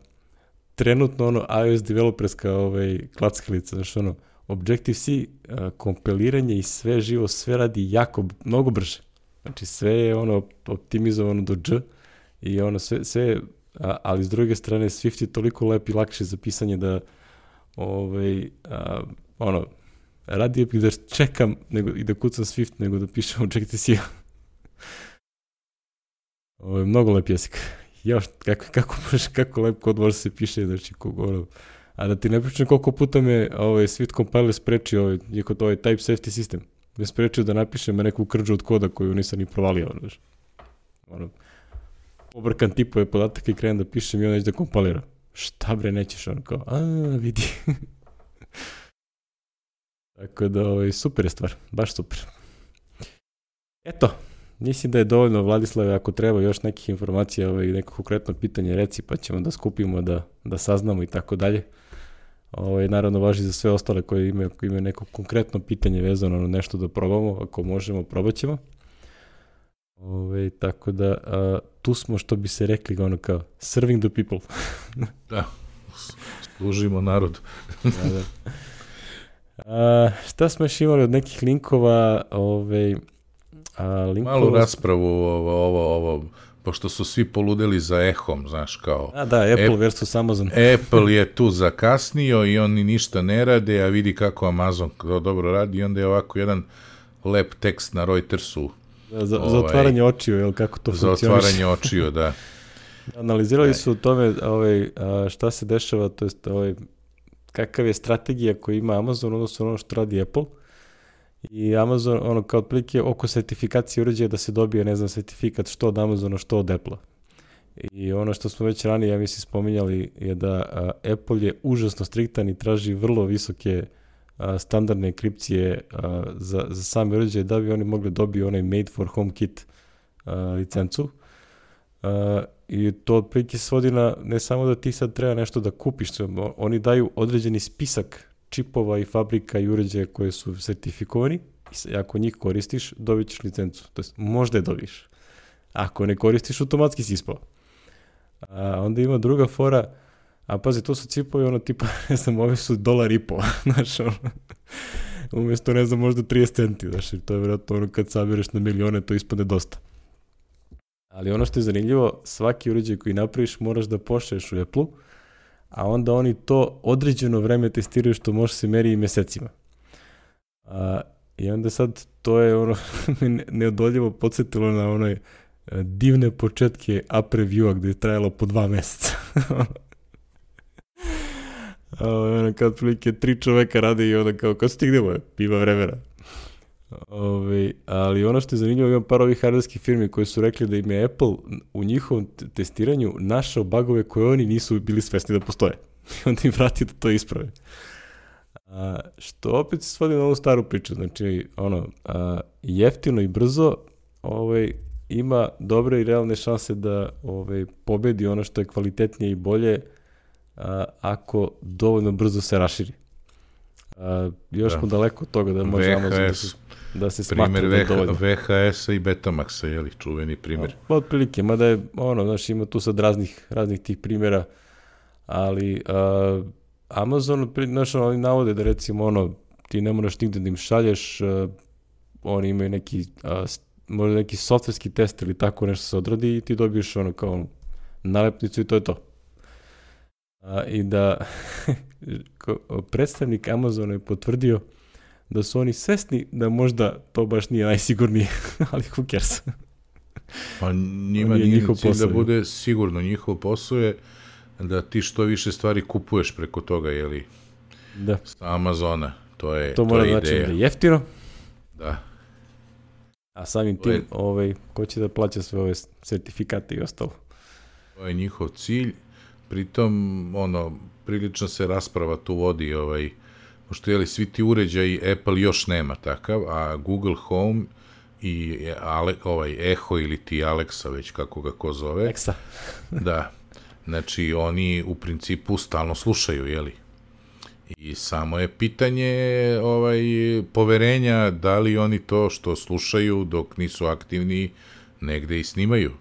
trenutno ono iOS developerska ovaj, klackalica, znači ono, Objective-C uh, kompiliranje i sve živo, sve radi jako, mnogo brže. Znači sve je ono optimizovano do dž i ono sve, sve a, ali s druge strane Swift je toliko lep i lakši za pisanje da ovaj, a, ono, radije bih da čekam nego, i da kucam Swift nego da pišem Objective-C. Ovo je mnogo lep jezik. Još, kako, kako, kako lep kod može se piše, znači, kogo, ono, a da ti ne pričam koliko puta me ovaj, Swift compiler sprečio, ovaj, je kod ovaj type safety sistem, me sprečio da napišem neku krđu od koda koju nisam ni provalio, znači, ono, pobrkan tipove podataka i krenem da pišem i on neće da kompilira. Šta bre, nećeš, ono, kao, a, vidi. Tako da, ovaj, super je stvar, baš super. Eto, mislim da je dovoljno, Vladislave, ako treba još nekih informacija, ovaj, neko konkretno pitanje reci, pa ćemo da skupimo, da, da saznamo i tako dalje. Ovaj, naravno, važi za sve ostale koji imaju, koji imaju neko konkretno pitanje vezano na nešto da probamo, ako možemo, probat ćemo. Ovaj, tako da, a, tu smo, što bi se rekli, ono kao, serving the people. Da, služimo narodu. Da, da. A, šta smo još imali od nekih linkova, ovaj, a, linkova... Malu raspravu ovo, ovo, ovo, pošto su svi poludeli za Ehom, znaš, kao... A da, Apple App, versus Amazon. Apple je tu zakasnio i oni ništa ne rade, a vidi kako Amazon to dobro radi i onda je ovako jedan lep tekst na Reutersu. Da, za, ovaj, za otvaranje očiju, jel, kako to za funkcioniše. Za otvaranje očiju, da. Analizirali Aj. su u tome ovaj, a, šta se dešava, to jest ovaj, kakav je strategija koju ima Amazon, odnosno ono što radi Apple. I Amazon, ono, kao otprilike oko sertifikacije uređaja da se dobije, ne znam, sertifikat što od Amazona, što od Apple-a. I ono što smo već ranije, ja mislim, spominjali je da a, Apple je užasno striktan i traži vrlo visoke a, standardne enkripcije a, za, za same uređaje da bi oni mogli dobiti onaj Made for Home Kit a, licencu. A, I to otprilike svodi na ne samo da ti sad treba nešto da kupiš, oni daju određeni spisak čipova i fabrika i uređaja koje su sertifikovani i ako njih koristiš, dobit ćeš licencu. To jest, možda je dobiš. Ako ne koristiš, automatski si ispao. A onda ima druga fora, a pazi, to su cipovi, ono tipa, ne znam, ovi su dolar i po, znaš, ono, umjesto, ne znam, možda trideset centi, znaš, to je vjerojatno ono kad sabireš na milione, to ispade dosta. Ali ono što je zanimljivo, svaki uređaj koji napraviš moraš da pošalješ u Apple-u, a onda oni to određeno vreme testiraju što može se meri i mesecima. A, I onda sad to je ono neodoljivo podsjetilo na onoj divne početke app review-a gde je trajalo po dva meseca. ono, kao otprilike tri čoveka rade i onda kao, kao stignemo, ima vremena. Ove, ali ono što je zanimljivo, imam par ovih hardverskih firmi koji su rekli da im je Apple u njihovom testiranju našao bugove koje oni nisu bili svesni da postoje. I onda im vrati da to isprave. A, što opet se svodi na ovu staru priču, znači ono, a, jeftino i brzo ovaj, ima dobre i realne šanse da ovaj, pobedi ono što je kvalitetnije i bolje a, ako dovoljno brzo se raširi. A, još da. smo daleko od toga da može Amazon da se, da se smatra da je dovoljno. V H S-a i Betamaxa, je li, čuveni primjer? A, otprilike, mada je, ono, znaš, ima tu sad raznih, raznih tih primjera, ali a, Amazon, znaš, oni navode da recimo, ono, ti ne moraš nigde da im šalješ, a, oni imaju neki, a, možda neki softverski test ili tako nešto se odradi i ti dobiješ ono kao nalepnicu i to je to. A, I da predstavnik Amazona je potvrdio da su oni svesni da možda to baš nije najsigurnije, ali who cares. Pa njima nije njihov cilj posao, da bude sigurno. Njihov posao je da ti što više stvari kupuješ preko toga, jeli? Da. Sa Amazona. To je, to, to mora je znači ideja. Da je jeftino. Da. A samim tim, je, ovaj, ko će da plaća sve ove sertifikate i ostalo? To je njihov cilj. Pritom, ono, prilično se rasprava tu vodi, ovaj, pošto jeli, svi ti uređaji Apple još nema takav, a Google Home i Ale, ovaj, Echo ili ti Alexa, već kako ga ko zove. Alexa. Da. Znači, oni u principu stalno slušaju, jeli? I samo je pitanje ovaj, poverenja da li oni to što slušaju dok nisu aktivni negde i snimaju.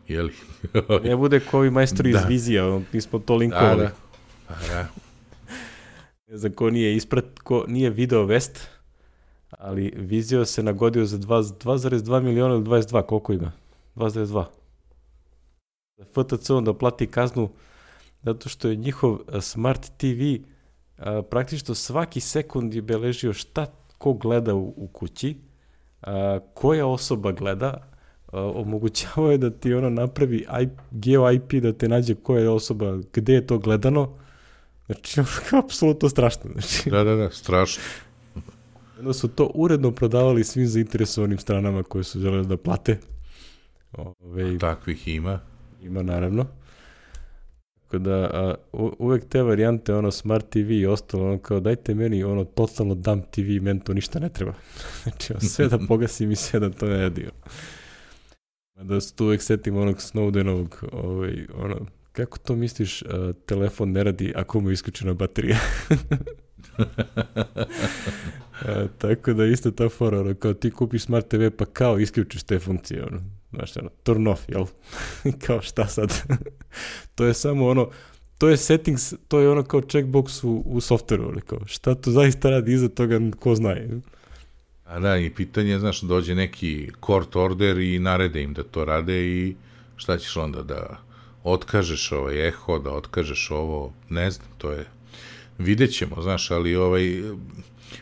Jeli? Ne bude ko ovi majstori da. iz Vizija, mi smo to linkovali. Da, da. Da. Ne znam ko nije isprat, ko nije video vest, ali Vizio se nagodio za dva zarez dva miliona ili dvadeset dva, koliko ima? dva zarez dva. F T C onda plati kaznu zato što je njihov Smart T V a, praktično svaki sekund je beležio šta ko gleda u, u kući, a, koja osoba gleda, a, omogućavao je da ti ono napravi geo I P da te nađe koja je osoba, gde je to gledano. Znači, apsolutno strašno. Znači, da, da, da, strašno. Onda su to uredno prodavali svim zainteresovanim stranama koje su želeli da plate. Ove, takvih ima. Ima, naravno. Tako da, a, u, uvek te varijante, ono, Smart T V i ostalo, ono, kao, dajte meni, ono, totalno dumb T V, meni to ništa ne treba. Znači, sve da pogasim i sve da to ne radi. Da se tu uvek setim onog Snowdenovog, ovaj, ono, kako to misliš, a, telefon ne radi ako mu je isključena baterija? a, tako da isto ta fora, ono, kao ti kupiš Smart T V pa kao isključiš te funkcije, ono, znaš, ono, turn off, jel? Kao šta sad? To je samo ono, to je settings, to je ono kao checkbox u, u softveru, ono, kao, šta to zaista radi iza toga, ko znaje. A da, i pitanje, znaš, dođe neki court order i narede im da to rade i šta ćeš onda, da otkažeš ovaj Echo, da otkažeš ovo, ne znam, to je, vidjet ćemo, znaš, ali ovaj,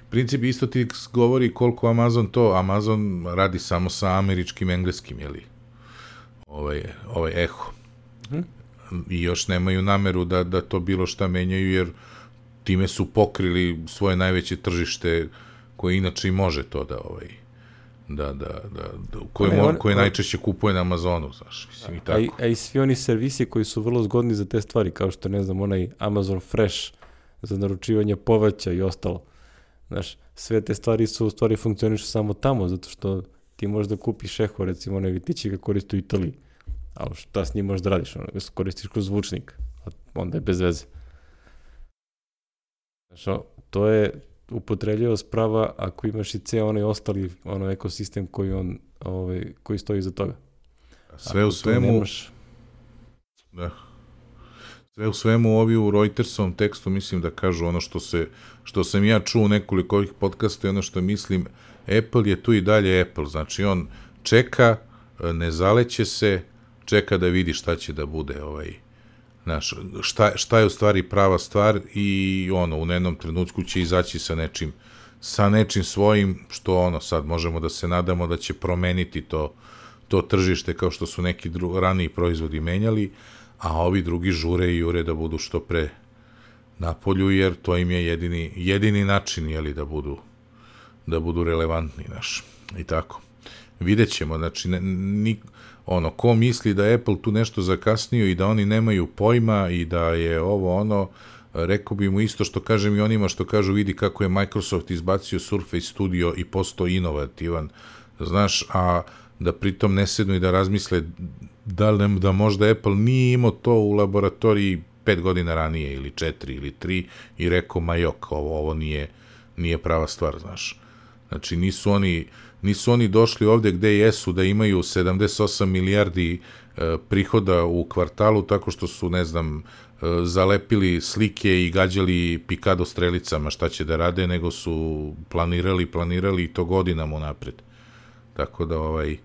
princip isto ti govori koliko Amazon to, Amazon radi samo sa američkim engleskim, jeli, ovaj, ovaj Echo. Hmm. I još nemaju nameru da, da to bilo šta menjaju, jer time su pokrili svoje najveće tržište koje inače i može to da, ovaj, da, da, da, da koje, ne, on, koje on, najčešće kupuje na Amazonu, znaš, mislim i tako. A, a i svi oni servisi koji su vrlo zgodni za te stvari, kao što, ne znam, onaj Amazon Fresh za naručivanje povrća i ostalo. Znaš, sve te stvari su u stvari funkcionišu samo tamo, zato što ti možeš da kupiš Echo, recimo, onaj vitići ga koristi u Italiji. Ali šta s njim možeš da radiš? Ono, ga koristiš kroz zvučnik, a onda je bez veze. Znaš, to je upotrebljivost prava ako imaš i ceo onaj ostali ono ekosistem koji, on, ovaj, koji stoji iza toga. Sve u svemu... Nemaš... Da. Sve u svemu ovi u Reutersovom tekstu mislim da kažu ono što se, što sam ja čuo nekoliko ovih podcasta i ono što mislim, Apple je tu i dalje Apple, znači on čeka, ne zaleće se, čeka da vidi šta će da bude ovaj, znaš, šta, šta je u stvari prava stvar i ono, u jednom trenutku će izaći sa nečim, sa nečim svojim, što ono, sad možemo da se nadamo da će promeniti to, to tržište kao što su neki dru, raniji proizvodi menjali, a ovi drugi žure i jure da budu što pre napolju, jer to im je jedini, jedini način, jeli, da budu, da budu relevantni, naš. I tako. Vidjet ćemo, znači, ne, ni, ono, ko misli da je Apple tu nešto zakasnio i da oni nemaju pojma i da je ovo ono, rekao bi mu isto što kažem i onima što kažu vidi kako je Microsoft izbacio Surface Studio i postao inovativan, znaš, a da pritom ne sednu i da razmisle da, li, da možda Apple nije imao to u laboratoriji pet godina ranije ili četiri ili tri i rekao ma jok, ovo, ovo nije, nije prava stvar, znaš. Znači nisu oni, nisu oni došli ovde gde jesu da imaju sedamdeset osam milijardi e, prihoda u kvartalu tako što su, ne znam, e, zalepili slike i gađali pikado strelicama šta će da rade, nego su planirali, planirali i to godinama unapred. Tako da, ovaj,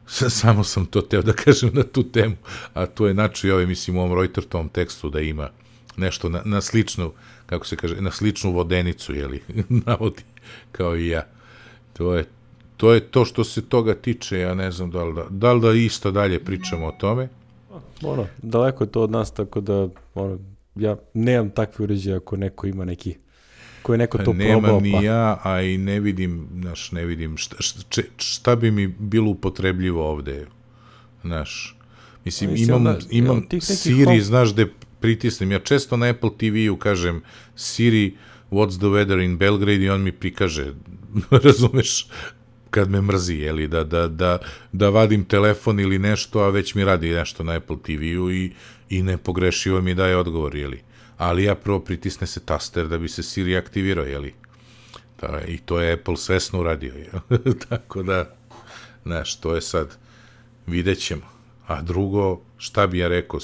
samo sam to teo da kažem na tu temu, a to je način, ovaj, mislim, u ovom Reutertovom tekstu da ima nešto na, na sličnu, kako se kaže, na sličnu vodenicu, jeli, navodi, kao i ja. To je, to je to što se toga tiče, ja ne znam da li da, da, li da isto dalje pričamo o tome. Ono, daleko je to od nas, tako da, ono, ja nemam takve uređaje ako neko ima neki, ko je neko to Nemam probao. Nemam pa. ni ja, a i ne vidim, znaš, ne vidim šta, šta, šta bi mi bilo upotrebljivo ovde, znaš. Mislim, mislim imam, da, imam Siri, home... znaš, da pritisnem. Ja često na Apple T V-u kažem Siri, what's the weather in Belgrade i on mi prikaže, razumeš, kad me mrzi, jeli, da, da, da, da vadim telefon ili nešto, a već mi radi nešto na Apple T V-u i, i nepogrešivo mi daje odgovor, jeli. Ali ja prvo pritisne se taster da bi se Siri aktivirao, jeli. Da, i to je Apple svesno uradio, jel? Tako da, znaš, to je sad, vidjet ćemo. A drugo, šta bi ja rekao,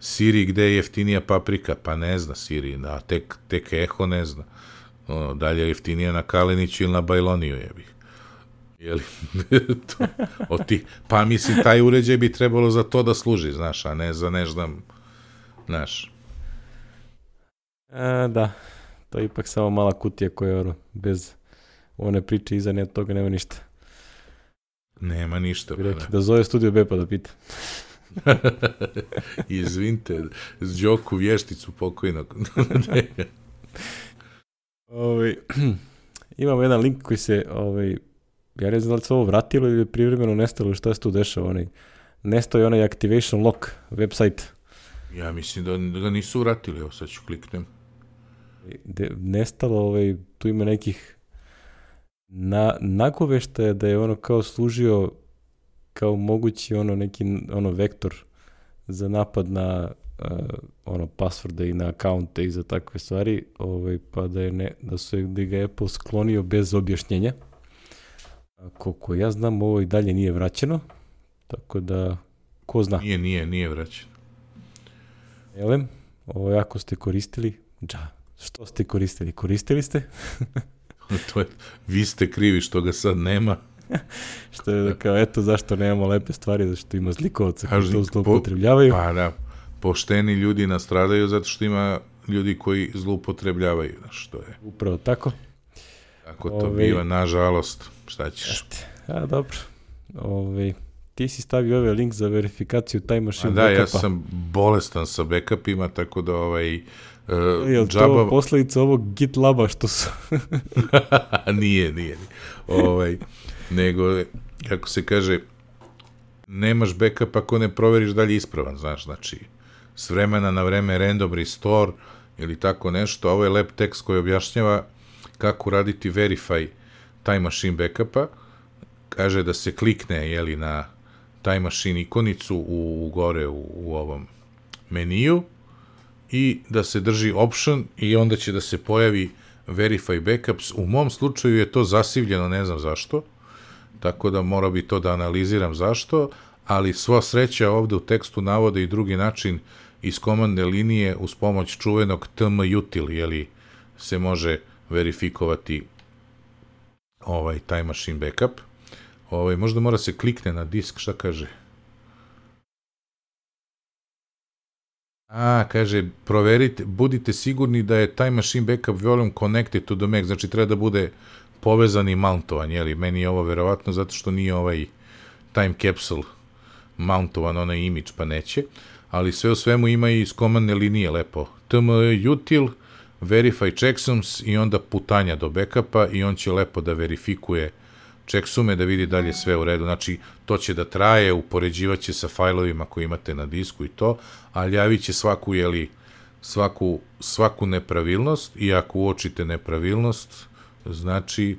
Siri, gde je jeftinija paprika? Pa ne zna Siri, a tek, tek Eho ne zna. Ono, dalje je jeftinija na Kaleniću ili na Bajloniju, jebi. Jeli? to, ti, pa mislim, taj uređaj bi trebalo za to da služi, znaš, a ne za ne znam, znaš. E, da, to je ipak samo mala kutija koja, ono, bez one priče iza ne, toga nema ništa. Nema ništa. Pa da. da zove Studio B pa da pita. Izvinite, Đoku vješticu pokojnog. Ovaj, imamo jedan link koji se, ovaj, ja ne znam da li se ovo vratilo ili privremeno nestalo ili šta se tu dešava. Onaj, nestao je onaj Activation Lock website. Ja mislim da ga nisu vratili, evo sad ću kliknem. De, nestalo, ovaj, tu ima nekih na, nagoveštaja da je ono kao služio kao mogući ono neki ono vektor za napad na uh, ono passworde i na akaunte i za takve stvari, ovaj, pa da je ne, da su da ga Apple sklonio bez objašnjenja. A koliko ja znam, ovo i dalje nije vraćeno, tako da ko zna. Nije, nije, nije vraćeno. Elem, ovo jako ste koristili, dža, što ste koristili? Koristili ste? To je, vi ste krivi što ga sad nema. Što je da kao, eto zašto nemamo lepe stvari, zašto ima zlikovaca koji to zloupotrebljavaju. Pa da, pošteni ljudi nastradaju zato što ima ljudi koji zloupotrebljavaju, znaš, što je. Upravo tako. Tako to Ove... biva, nažalost, šta ćeš. A, dobro. Ove... Ti si stavio ovaj link za verifikaciju Time Machine da, backupa. Ja sam bolestan sa backupima, tako da ovaj... Uh, je li džaba... to posljedica ovog GitLaba što su... nije, nije. Ovaj, nego, kako se kaže, nemaš backup ako ne proveriš da li je ispravan, znaš, znači, s vremena na vreme random restore ili tako nešto, ovo je lab tekst koji objašnjava kako raditi verify Time Machine backupa, kaže da se klikne, jeli, na Time Machine ikonicu u, u gore u, u ovom meniju i da se drži option i onda će da se pojavi verify backups. U mom slučaju je to zasivljeno, ne znam zašto, tako da mora bi to da analiziram zašto, ali sva sreća ovde u tekstu navode i drugi način iz komandne linije uz pomoć čuvenog tmutil, jeli, se može verifikovati ovaj Time Machine backup. Ovaj, možda mora se klikne na disk, šta kaže? A, kaže, proverite, budite sigurni da je Time Machine backup volume connected to the Mac, znači treba da bude povezan i mountovan, jeli, meni je ovo verovatno zato što nije ovaj time capsule mountovan, onaj image, pa neće, ali sve u svemu ima i iz komandne linije lepo. tmutil verify checksums i onda putanja do backupa i on će lepo da verifikuje checksume, da vidi da li je sve u redu. Znači, to će da traje, upoređivaće sa fajlovima koje imate na disku i to, ali javit će svaku, jeli, svaku, svaku nepravilnost i ako uočite nepravilnost, znači,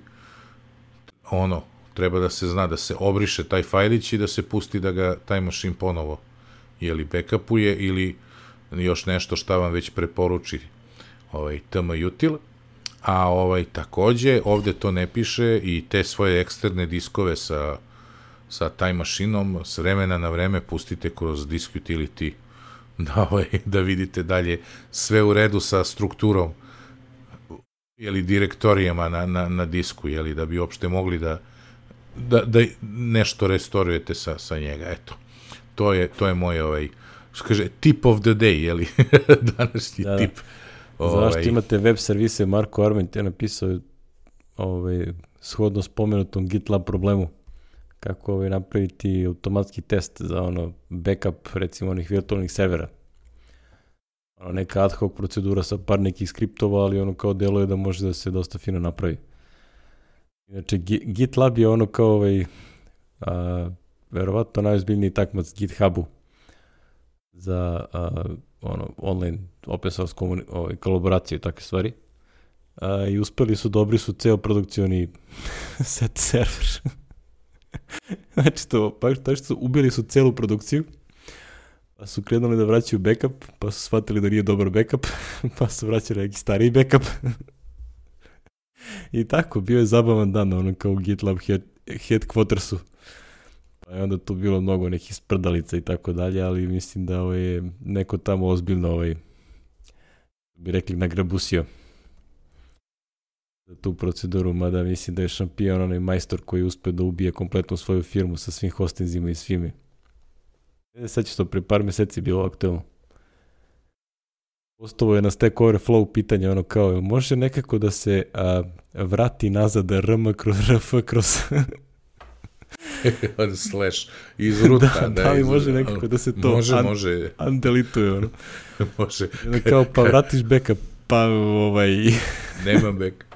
ono, treba da se zna da se obriše taj fajlić i da se pusti da ga taj mašin ponovo, jeli, backupuje ili još nešto šta vam već preporuči ovaj, T M util, a ovaj, takođe, ovde to ne piše i te svoje eksterne diskove sa, sa taj mašinom s vremena na vreme pustite kroz disk utility da, ovaj, da vidite dalje sve u redu sa strukturom jeli, direktorijama na, na, na disku, jeli, da bi uopšte mogli da, da, da nešto restorujete sa, sa njega, eto. To je, to je moj, ovaj, što kaže, tip of the day, jeli, današnji da, tip. Ovaj. Zašto imate web servise, Marko Arment je napisao ovaj, shodno spomenutom GitLab problemu, kako ovaj, napraviti automatski test za ono backup, recimo, onih virtualnih servera. Ono, neka ad hoc procedura sa par nekih skriptova, ali ono kao deluje da može da se dosta fino napravi. Inače, GitLab je ono kao ovaj, a, verovatno najozbiljniji takmac GitHubu za a, ono, online open source komuni- ovaj, kolaboraciju i takve stvari. A, I uspeli su, dobri su ceo produkcioni set server. Znači to, pa što su ubili su celu produkciju, pa su krenuli da vraćaju backup, pa su shvatili da nije dobar backup, pa su vraćali neki stariji backup. I tako, bio je zabavan dan, ono kao u GitLab head, headquartersu. Pa je onda tu bilo mnogo nekih sprdalica i tako dalje, ali mislim da ovaj, je neko tamo ozbiljno, ovaj, bi rekli, nagrabusio za tu proceduru, mada mislim da je šampion onaj majstor koji uspe da ubije kompletnu svoju firmu sa svim hostingzima i svime. Sad će to pre par meseci bilo aktualno. Postavo je na Stack Overflow pitanje, ono kao, može nekako da se a, vrati nazad R M kroz R F kroz... slash iz ruta. Da, da, da li iz... može nekako da se to može, un, može. undelituje, ono. Može. Kao, pa vratiš backup, pa ovaj... Nema backup.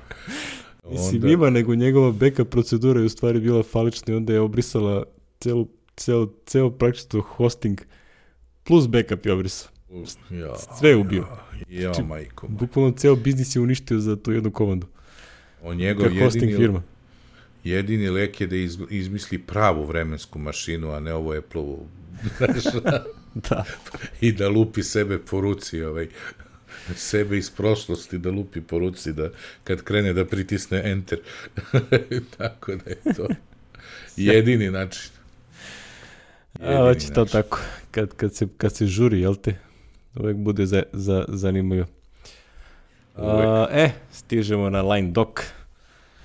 Mislim, onda... ima, nego njegova backup procedura je u stvari bila falična i onda je obrisala celu, ceo, ceo praktično hosting plus backup je obrisao. Ja, sve je ubio. Ja, ja znači, majko. Bukvalno ceo biznis je uništio za tu jednu komandu. On njegov jedini, firma. jedini lek je da iz, izmisli pravu vremensku mašinu, a ne ovo Apple-ovu. Da. I da lupi sebe po ruci, ovaj, sebe iz prošlosti da lupi po ruci, da kad krene da pritisne enter. Tako da je to jedini način. Jedini a, hoće to tako. Kad, kad, se, kad se žuri, jel te? Uvek bude za, za, zanimljivo. A, e, stižemo na line doc.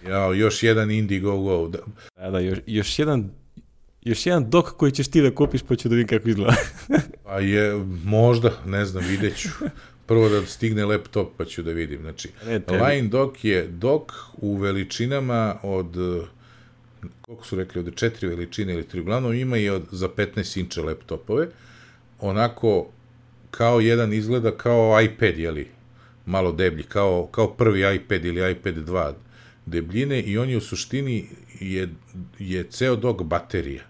Jao, još jedan Indiegogo. Da, da, da još, još jedan još jedan doc koji ćeš ti da kupiš, pa ću da vidim kako izgleda. Pa je, možda, ne znam, vidjet ću. Prvo da stigne laptop, pa ću da vidim. Znači, line doc je doc u veličinama od, koliko su rekli, od četiri veličine ili tri, uglavnom ima i od, za petnaest inča laptopove. Onako, kao jedan izgleda kao iPad, jeli, malo deblji, kao, kao prvi iPad ili iPad dva debljine i on je u suštini je, je ceo doc baterija,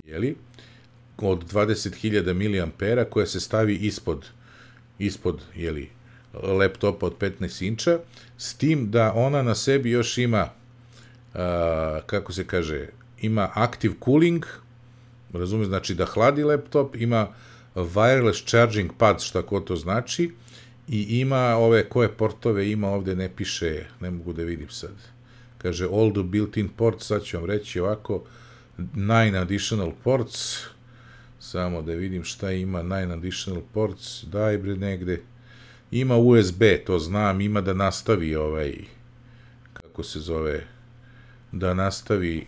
jeli, od dvadeset hiljada miliampera koja se stavi ispod, ispod, jeli, laptopa od petnaest inča, s tim da ona na sebi još ima, a, kako se kaže, ima active cooling, razumije, znači da hladi laptop, ima wireless charging pad, šta ko to znači, i ima ove koje portove ima, ovde ne piše, ne mogu da vidim sad. Kaže all the built-in ports, sad ću vam reći ovako, nine additional ports, samo da vidim šta ima, nine additional ports, daj bre negde, ima U S B, to znam, ima da nastavi ovaj, kako se zove, da nastavi,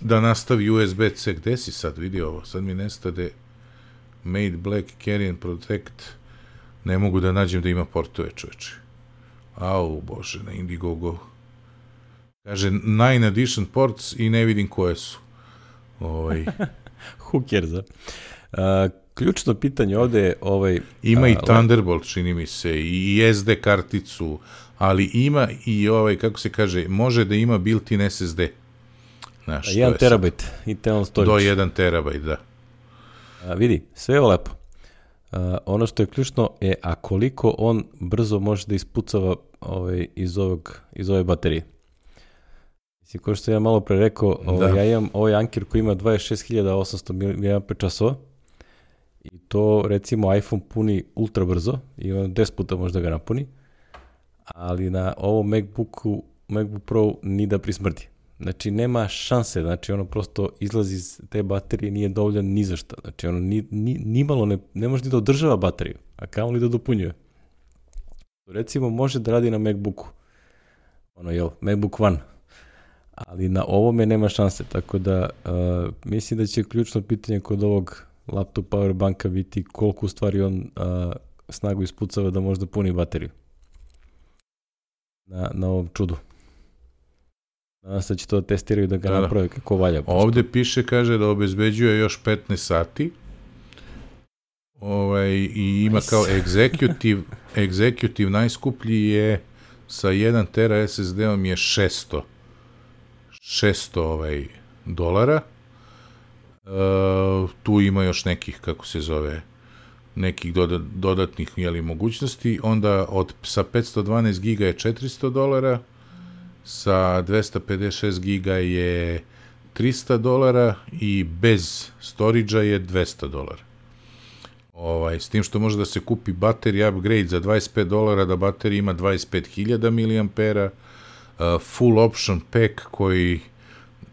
da nastavi U S B C, gde si sad, vidi ovo, sad mi nestade, Made Black, Carry and Protect, ne mogu da nađem da ima portove, čoveče. Au, bože, na Indiegogo. Kaže, nine addition ports i ne vidim koje su. Ovaj. Who cares, a? Uh, ključno pitanje ovde je ovaj... Ima a, i Thunderbolt, čini mi se, i es de karticu, ali ima i ovaj, kako se kaže, može da ima built-in es es de. Znaš, jedan terabajt internal storage. Do jedan terabajt, da. A, vidi, sve je lepo. A, ono što je ključno je, a koliko on brzo može da ispucava ovaj, iz, ovog, iz ove baterije. Mislim, kao što ja malo pre rekao, ovaj, ja imam ovaj Anker koji ima dvadeset šest hiljada osamsto miliampera časova i to recimo iPhone puni ultra brzo i on deset puta može da ga napuni, ali na ovom MacBooku, MacBook Pro ni da prismrdi. Znači, nema šanse, znači ono prosto izlazi iz te baterije, nije dovoljan ni za šta. Znači, ono ni, ni, ni malo ne, ne može ni da održava bateriju, a kamo li da dopunjuje. Recimo, može da radi na MacBooku, ono, jel, MacBook One, ali na ovome nema šanse, tako da uh, mislim da će ključno pitanje kod ovog laptop power banka biti koliko u stvari on uh, snagu ispucava da može da puni bateriju na, na ovom čudu. Nadam se da će to testiraju da ga da, naprave kako valja. Ovde piše, kaže da obezbeđuje još petnaest sati ovaj, i ima nice. Kao executive, executive najskuplji je sa jedan tera es es de-om je šesto ovaj, dolara. Uh, tu ima još nekih, kako se zove, nekih doda, dodatnih jeli, mogućnosti. Onda od, sa petsto dvanaest giga je četiristo dolara, sa dvesta pedeset šest giga je trista dolara i bez storage-a je dvesta dolara. Ovaj, s tim što može da se kupi battery upgrade za dvadeset pet dolara, da baterija ima dvadeset pet hiljada miliampera, uh, full option pack koji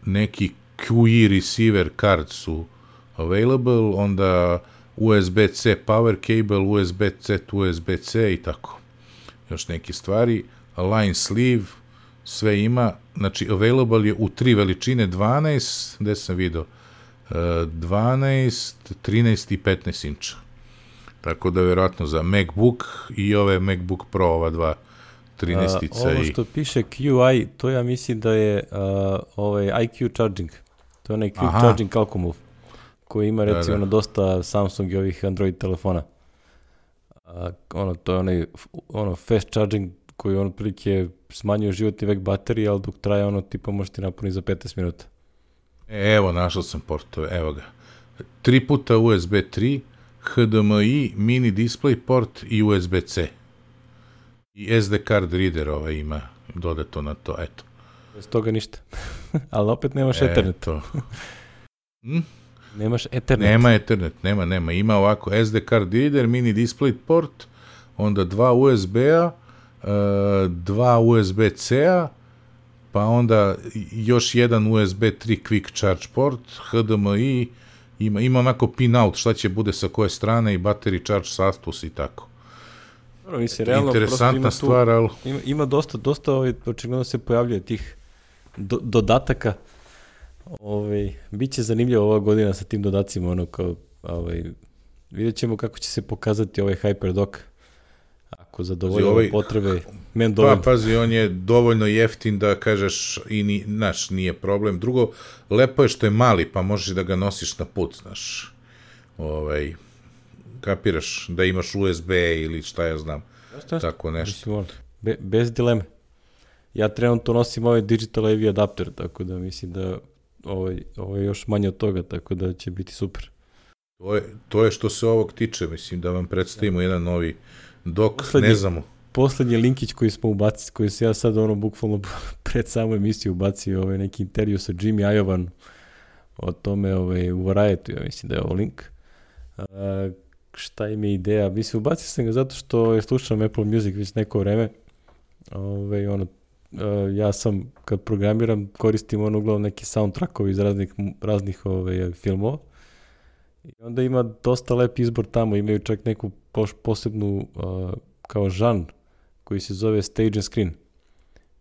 neki Q E receiver card su available, onda U S B C power cable, U S B C to U S B C i tako. Još neke stvari, line sleeve, sve ima, znači available je u tri veličine, dvanaest, gde sam vidio, dvanaest, trinaest i petnaest inča. Tako da vjerojatno za MacBook i ove MacBook Pro, ova dva trinaestica. Ovo što piše Q I, to ja mislim da je uh, ovaj I Q charging. To je onaj Quick Aha. charging Calcomove, koji ima recimo da, da. na dosta Samsung i ovih Android telefona. Uh, ono, to je onaj ono, fast charging koji on prilike smanjuje životni vek baterije, ali dok traje ono tipa može ti napuniti za petnaest minuta. E, evo, našao sam portove, evo ga. Tri puta U S B tri, H D M I, mini display port i U S B C. I S D card reader ovaj ima dodato na to, eto. Bez toga ništa. Ali opet nemaš Ethernet. Hm? Nemaš Ethernet. Nema Ethernet, nema, nema. Ima ovako S D card reader, mini display port, onda dva U S B-a, dva U S B C-a, pa onda još jedan U S B tri quick charge port, H D M I, ima, ima onako pin out, šta će bude sa koje strane i battery charge status i tako. Dobro, mislim, realno, interesantna ima stvar, tu, ali... Ima, ima dosta, dosta ovaj, očigledno se pojavljuje tih do, dodataka. Ovaj, biće zanimljivo ova godina sa tim dodacima, ono kao, ovaj, vidjet ćemo kako će se pokazati ovaj HyperDock. Ako zadovolji ovaj, potrebe, men dovoljno. Pa, pazi, on je dovoljno jeftin da kažeš i ni, naš, nije problem. Drugo, lepo je što je mali, pa možeš da ga nosiš na put, znaš. Ovaj, kapiraš da imaš U S B ili šta ja znam. Jeste, jeste. Tako nešto. Be, bez dileme. Ja trenutno nosim ovaj Digital A V adapter, tako da mislim da ovaj, ovaj još manje od toga, tako da će biti super. To je, to je što se ovog tiče, mislim da vam predstavimo jedan novi dok, poslednji, ne znamo. Poslednji linkić koji smo ubacili, koji se ja sad ono bukvalno pred samu emisiju ubacio, ovaj neki intervju sa Jimmy Iovan o tome ovaj, u Variety, ja mislim da je ovo link. Uh, šta im je ideja? Mislim, ubacio sam ga zato što je slušam Apple Music već neko vreme. Ove, ono, ja sam, kad programiram, koristim ono uglavnom neki soundtrackovi iz raznih, raznih ove, filmova. I onda ima dosta lep izbor tamo. Imaju čak neku posebnu uh, kao žan koji se zove Stage and Screen.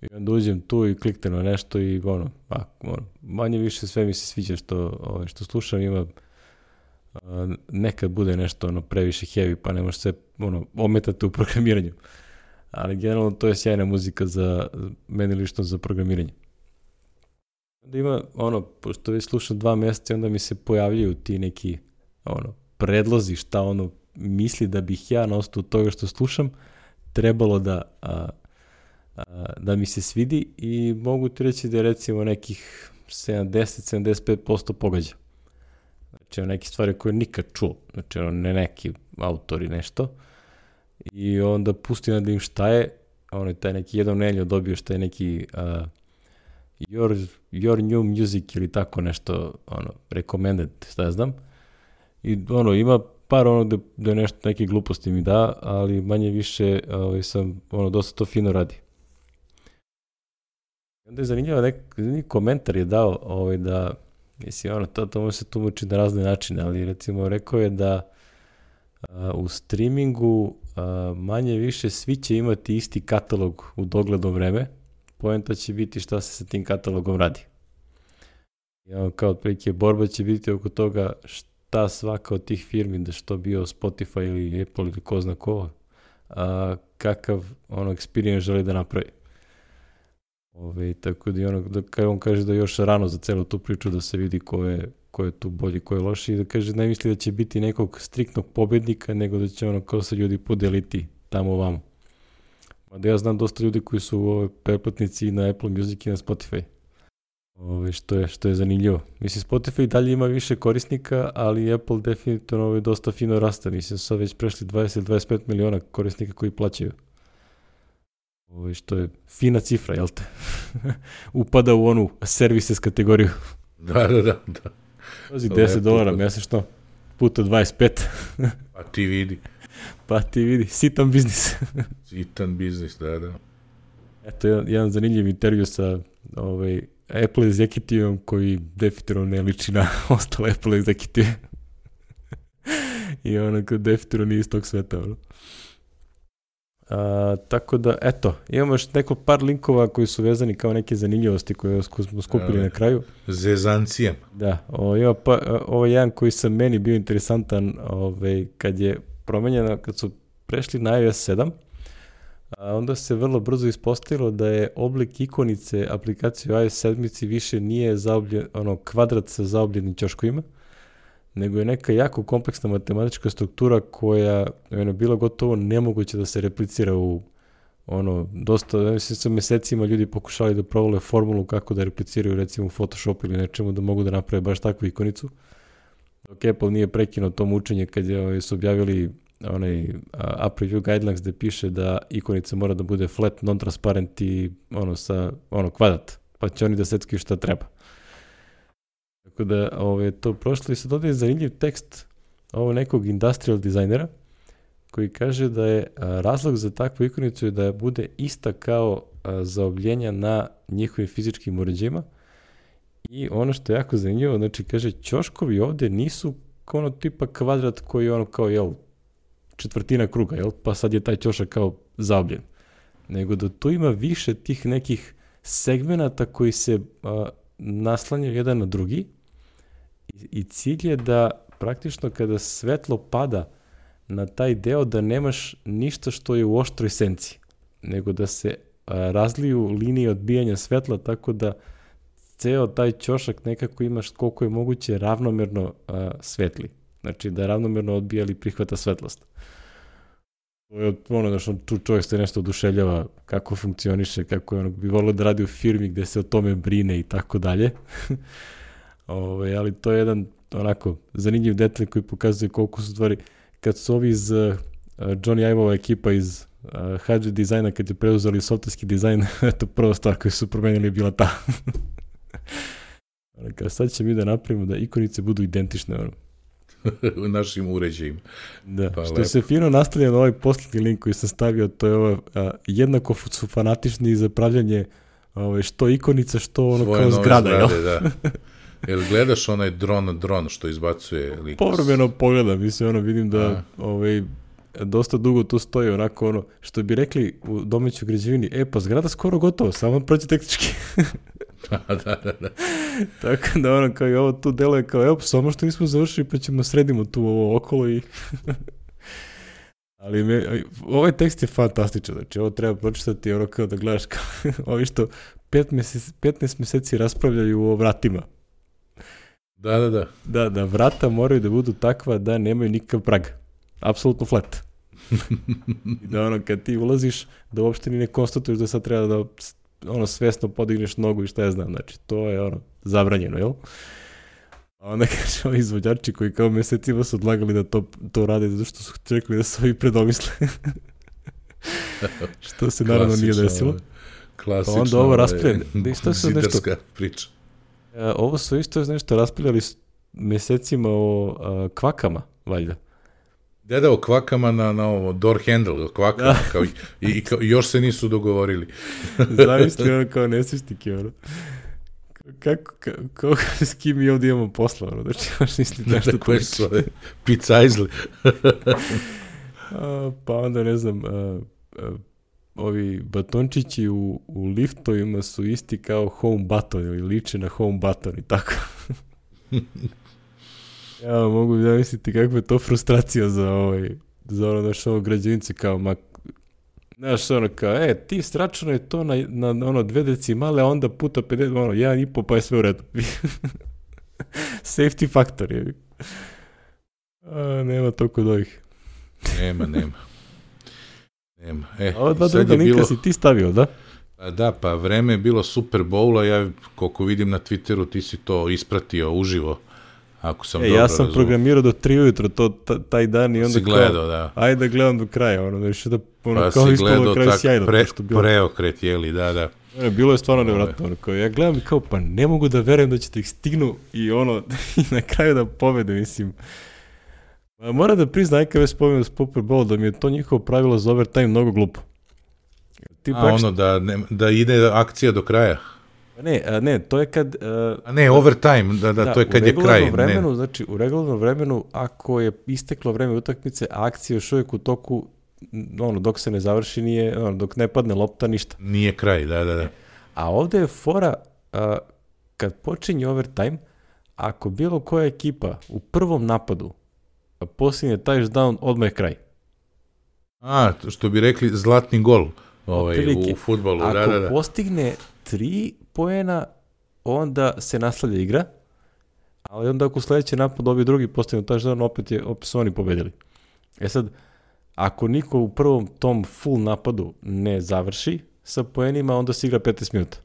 I onda uđem tu i kliknem na nešto i ono, a, ono manje više sve mi se sviđa što, ove, što slušam. Ima Uh, nekad bude nešto ono previše heavy, pa ne može se ono, ometati u programiranju. Ali generalno to je sjajna muzika za meni lično za programiranje. Onda ima ono, pošto već slušam dva mjeseca, onda mi se pojavljaju ti neki ono, predlozi šta ono misli da bih ja na osnovu toga što slušam trebalo da, a, a, da mi se svidi i mogu ti reći da je recimo nekih sedamdeset do sedamdeset pet posto pogađa. Znači, ono neke stvari koje nikad čuo, znači ono ne neki autori nešto i onda pustim da im šta je, ono je taj neki jedan neljo dobio šta je neki uh, your, your new music ili tako nešto, ono, recommended, šta ja znam, i ono, ima par ono da, da nešto, neke gluposti mi da, ali manje više ovaj, sam, ono, dosta to fino radi. Onda je zanimljivo, nek, zanimljiv komentar je dao ovaj, da, mislim, ono, to, to može se tumači na razne načine, ali recimo rekao je da a, u streamingu a, manje više svi će imati isti katalog u dogledno vreme, poenta će biti šta se sa tim katalogom radi. I ono, kao otprilike borba će biti oko toga šta svaka od tih firmi, da što bio Spotify ili Apple ili ko zna ko, a, kakav ono experience želi da napravi. Ove, tako da, ono, da kaj on kaže da je još rano za celu tu priču da se vidi ko je, ko je tu bolji, ko je loši i da kaže ne misli da će biti nekog striktnog pobednika, nego da će ono kao se ljudi podeliti tamo ovamo. Da ja znam dosta ljudi koji su ove, pretplatnici na Apple Music i na Spotify. Ove, što, je, što je zanimljivo. Mislim, Spotify dalje ima više korisnika, ali Apple definitivno ove, dosta fino raste. Mislim, sad već prešli dvadeset do dvadeset pet miliona korisnika koji plaćaju. Ovo što je fina cifra, jel te? Upada u onu services kategoriju. Da, da, da. da. Pazi, deset dolara mjesečno, puta dvadeset pet. Pa ti vidi. Pa ti vidi, sitan biznis. Sitan biznis, da, da. Eto, jedan, jedan zanimljiv intervju sa ovaj, Apple executivom koji definitivno ne liči na ostale Apple executive. I onako definitivno nije iz tog sveta, ono. A, tako da, eto, imamo još neko par linkova koji su vezani kao neke zanimljivosti koje smo skupili a, na kraju. Zezancije. Da, o, ima pa, ovo je jedan koji sam meni bio interesantan ovaj, kad je promenjeno, kad su prešli na iOS sedam, a onda se vrlo brzo ispostavilo da je oblik ikonice aplikacije u iOS sedam više nije zaobljen, ono, kvadrat sa zaobljenim ćoškovima, nego je neka jako kompleksna matematička struktura koja je bila gotovo nemoguće da se replicira u ono, dosta, ja mislim sa mesecima ljudi pokušali da provole formulu kako da repliciraju recimo u Photoshopu ili nečemu da mogu da naprave baš takvu ikonicu. Dok Apple nije prekinuo to mučenje kad je, su objavili onaj App Review Guidelines gde piše da ikonica mora da bude flat, non-transparent i ono, sa, ono, kvadrat, pa će oni da seckaju šta treba. Tako da ove, to prošlo i sad ovdje je zanimljiv tekst ovo nekog industrial dizajnera koji kaže da je a, razlog za takvu ikonicu je da bude ista kao a, zaobljenja na njihovim fizičkim uređajima i ono što je jako zanimljivo, znači kaže ćoškovi ovdje nisu ono tipa kvadrat koji je ono kao jel, četvrtina kruga, jel, pa sad je taj ćošak kao zaobljen, nego da tu ima više tih nekih segmenata koji se a, naslanjaju jedan na drugi i cilj je da praktično kada svetlo pada na taj deo da nemaš ništa što je u oštroj senci, nego da se a, razliju linije odbijanja svetla tako da ceo taj ćošak nekako imaš koliko je moguće ravnomerno a, svetli. Znači da ravnomerno odbija ili prihvata svetlost. To je ono da što tu čovjek se nešto oduševljava kako funkcioniše, kako je ono, bi volio da radi u firmi gde se o tome brine i tako dalje. Ove, ali to je jedan onako zanimljiv detalj koji pokazuje koliko su stvari, kad su ovi iz uh, Johnny Ive-ova ekipa iz uh, H D dizajna, kad je preuzeli softverski dizajn, eto prva stvar koju su promenili je bila ta. Kao sad će mi da napravimo da ikonice budu identične ono. U našim uređajima. Da, pa što lepo. Se fino nastavlja na ovaj posljednji link koji sam stavio, to je ovo, a, jednako su fanatični za pravljanje ovaj, što ikonica, što ono svoje kao zgrada. Zgrade, da. Jel gledaš onaj dron, dron što izbacuje lik? Povremeno pogledam, mislim, ono, vidim da ovaj, dosta dugo tu stoji onako ono, što bi rekli u domaćoj građevini, e pa zgrada skoro gotovo, samo proći tehnički. da, da, da, da. Tako da ono kao i ovo tu deluje kao, evo, samo što nismo završili pa ćemo sredimo tu ovo okolo i... Ali me, ovaj tekst je fantastičan, znači ovo treba pročitati ono kao da gledaš kao ovi što petnaest meseci raspravljaju o vratima. Da, da, da. Da, da vrata moraju da budu takva da nemaju nikakav prag. Apsolutno flat. I da ono, kad ti ulaziš, da uopšte ni ne konstatuješ da sad treba da ono svesno podigneš nogu i šta ja znam. Znači, to je ono, zabranjeno, jel? A onda kaže ovi izvođači koji kao mesecima su odlagali da to, to rade zato što su čekali da se ovi predomisle. Što se naravno nije desilo. Klasično. Pa onda ovo raspravljali. Zidarska priča. Ovo su isto nešto raspravljali mesecima o a, kvakama, valjda. Da, da, o kvakama na, na ovo, door handle, o kvakama, da. Kao, i, i, kao, i još se nisu dogovorili. Zamisli ono kao nesvištike, ono. Kako, kako, s kim mi ovdje imamo posla, ono, znači imaš misli nešto da, koje su ove pizzajzli. Pa onda, ne znam, a, a, ovi batončići u, u liftovima su isti kao home button ili liče na home button i tako. Ja mogu zamisliti kakva je to frustracija za ovaj, za ono naš ovo građevnice kao, ma, znaš ono kao, e, ti sračano je to na, na, na ono dve decimale, a onda puta pedeset, ono, jedan i po, pa je sve u redu. Safety factor je. A, nema to kod ovih. Nema, nema. Nema. E, a ova dva druga linka bilo... si ti stavio, da? A da, pa vreme je bilo Super Bowla, ja koliko vidim na Twitteru ti si to ispratio uživo. Ako sam e, dobro ja sam razum... programirao do tri ujutro to, taj dan i onda si gledao, kao, da. Ajde da gledam do kraja, ono, da više da, ono, pa kao si gledao tak sjajno, pre, preokret, jeli, da, da. Ne, bilo je stvarno nevratno, ono, kao, ja gledam i kao, pa ne mogu da verujem da ćete ih stignu i ono, i na kraju da pobede, mislim. Moram da priznam, kada već spomenuo Super Bowl, da mi je to njihovo pravilo za overtime mnogo glupo. Ti a ono, da, ne, da ide akcija do kraja? Ne, a ne, to je kad... Uh, a ne, overtime, da, da, da to je kad je kraj. Vremenu, ne. Znači, u regularnom vremenu, ako je isteklo vreme utakmice, a akcija još uvijek u toku, ono, dok se ne završi, nije, ono, dok ne padne lopta, ništa. Nije kraj, da, da, da. A ovde je fora, uh, kad počinje overtime, ako bilo koja ekipa u prvom napadu posljednje touchdown, odmah je kraj. A, što bi rekli, zlatni gol ovaj, u, u fudbalu. Ako da, da, da. postigne tri poena, onda se nastavlja igra, ali onda ako sledeći napad dobije drugi postigne touchdown, opet, je, opet su oni pobedili. E sad, ako niko u prvom tom full napadu ne završi sa poenima, onda se igra petnaest minuta.